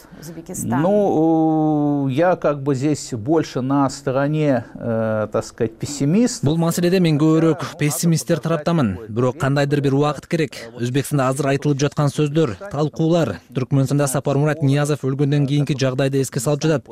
Ну, я как бы здесь больше на стороне, э, так сказать, пессимист. Бул маселеде мен көбүрөөк пессимисттер тараптамын. Бирок кандайдыр бир убакыт керек. Өзбекстанда азыр айтылып жаткан сөздөр, талкуулар Түркмөнстанда Сапармурат Ниязов өлгөндөн кийинки жагдайды эске салып жатат.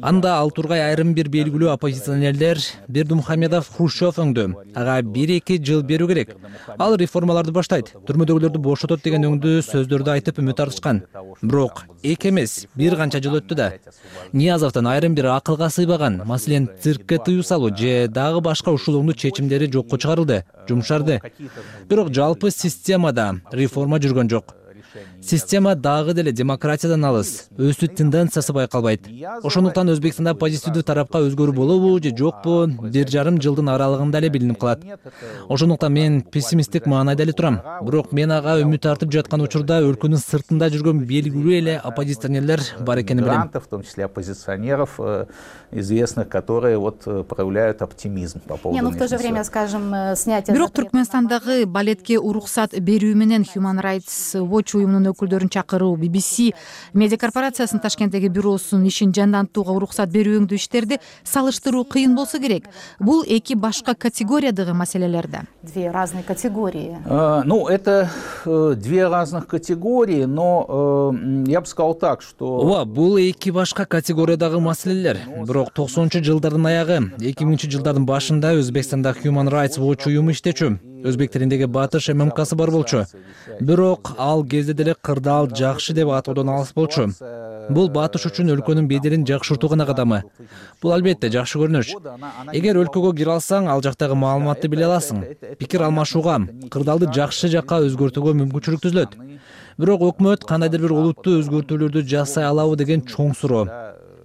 Анда ал тургай айрым бир белгилүү оппозиционерлер Бердымухамедов Хрущев өңдү. Ага бир эки жыл берүү керек. Ал реформаларды баштайт, түрмөдөгүлөрдү бошотот деген өңдүү сөздөрдү айтып үмүт артышкан. Бирок эки эмес, бир канча жыл өттү да. Ниязовдун айрым бир акылга сыйбаган, маселен циркке тыюу салуу же дагы башка ушул оңдуу чечимдери жокко чыгарылды, жумшарды. Бирок жалпы системада реформа жүргөн жок. Система дагы деле демократиядан алыс, өсүү тенденциясы байкалбайт. Ошондуктан Өзбекстанда позитивдүү тарапка өзгөрүү болобу же жокпу, бир жарым жылдын аралыгында эле билинип калат. Ошондуктан мен пессимисттик маанайда эле турам. Бирок мен ага үмүт артып жаткан учурда өлкөнүн сыртында жүргөн белгилүү эле оппозиционерлер бар экенин билем. В том числе оппозиционеров известных, которые вот проявляют оптимизм по поводу. Не, ну в то же время, скажем, снятие. Бирок Түркмөнстандагы балетке уруксат берүү менен Human Rights Watch уюмунун өкүлдөрүн чакыруу, би би си медиа корпорациясынын Ташкенттеги бюросунун ишин жандантууга уруксат берүү өңдүү иштерди салыштыруу кыйын болсо керек. Бул эки башка категориядагы маселелер да. Две разные категории. Uh, ну, это uh, две разных категории, но uh, я бы сказал так, что... Ооба, бул эки башка категориядагы маселелер. Бирок токсонунчу жылдардын аягы, эки миңинчи жылдардын башында Өзбекстанда Human Rights Watch уюму иштечү. Өзбек тилиндеги батыш ММКсы бар болчу. Бирок ал кезде деле кырдаал жакшы деп атоодон алыс болчу. Бул батыш үчүн өлкөнүн беделин жакшыртуу гана кадамы. Бул албетте жакшы көрүнүш. Эгер өлкөгө кире алсаң, ал жактагы маалыматты биле аласың. Пикир алмашууга, кырдаалды жакшы жакка өзгөртүүгө мүмкүнчүлүк түзүлөт. Бирок өкмөт кандайдыр бир олуттуу өзгөртүүлөрдү жасай алабы деген чоң суроо.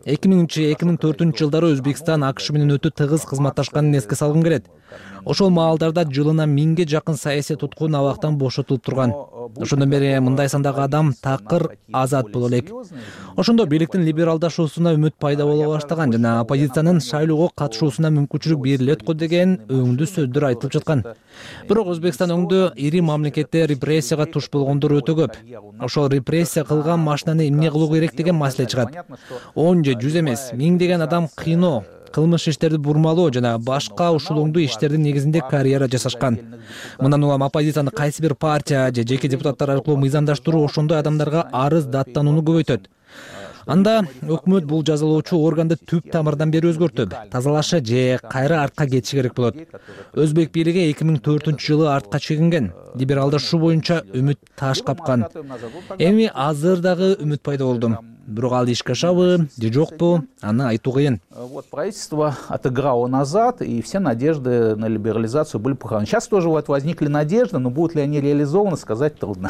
эки миңинчи эки миң төртүнчү жылдары Өзбекстан АКШ менен өтө тыгыз кызматташканын эске салгым келет. Ошол маалдарда жылына миңге жакын саясий туткун абактан бошотулуп турган. Ошондон бери мындай сандагы адам такыр азат боло элек. Ошондо бийликтин либералдашуусуна үмүт пайда боло баштаган жана оппозициянын шайлоого катышуусуна мүмкүнчүлүк берилет го деген өңдүү сөздөр айтылып жаткан. Бирок Өзбекстан өңдүү ири мамлекетте репрессияга туш болгондор өтө көп. Ошол репрессия кылган машинаны эмне кылуу керек деген маселе чыгат. он же жүз эмес, миңдеген адам кыйноо, кылмыш иштерди бурмалоо жана башка ушул оңдуу иштердин негизинде карьера жасашкан. Мындан улам оппозицияны кайсы бир партия же жеке депутаттар аркылуу мыйзамдаштыруу ошондой адамдарга арыз даттанууну көбөйтөт. Анда өкмөт бул жазалоочу органды түп тамырдан бери өзгөртүп, тазалашы же кайра артка кетиши керек болот. Өзбек бийлиги эки миң төртүнчү жылы артка чегинген, либералдашуу боюнча үмүт таш капкан. Эми азыр дагы үмүт пайда болду. бирок ал ишке ашабы же жокпу, аны айтуу кыйын. Вот правительство отыграло назад, и все надежды на либерализацию были похоронены. Сейчас тоже вот возникли надежды, но будут ли они реализованы, сказать трудно.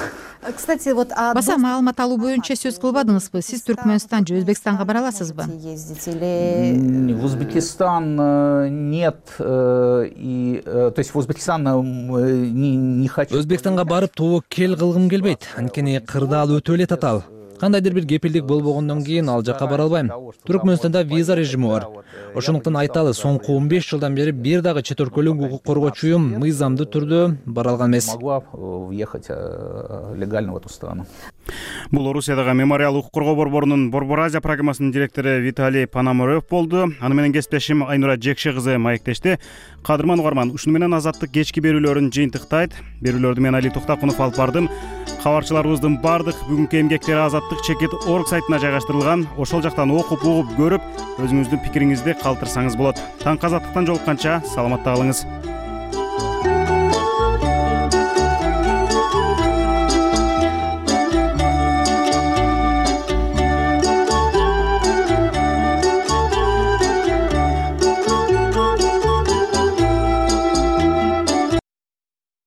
Кстати, вот баса маалымат алуу боюнча сөз кылбадыңызбы? Сиз Түркмөнстан же Өзбекстанга бара аласызбы? В Узбекистан нет, и то есть в Узбекистан не, не хочу. Өзбекстанга барып тобокел кылгым келбейт, анткени кырдаал өтө эле татаал. Кандайдыр бир кепилдик болбогондон кийин ал жакка бара албайм. Түркмөнстанда виза режими бар. Ошондуктан айталы, соңку он беш жылдан бери бир дагы чет өлкөлүк укук коргоочу уюм мыйзамдуу түрдө бара алган эмес. Могла въехать легально в эту страну. Бул Орусиядагы мемориал укук коргоо борборунун Борбор Азия программасынын директору Виталий Пономарев болду. Аны менен кесиптешим Айнура Жекше кызы маектешти. Кадырман угарман, ушуну менен Азаттык кечки берүүлөрүн жыйынтыктайт. Берүүлөрдү мен Али Токтакунов алып бардым. Кабарчыларыбыздын бардык бүгүнкү эмгектери азаттык чекит точка орг сайтына жайгаштырылган. Ошол жактан окуп, угуп, көрүп, өзүңүздүн пикириңизди калтырсаңыз болот. Таңкы Азаттыктан жолукканча саламатта калыңыз.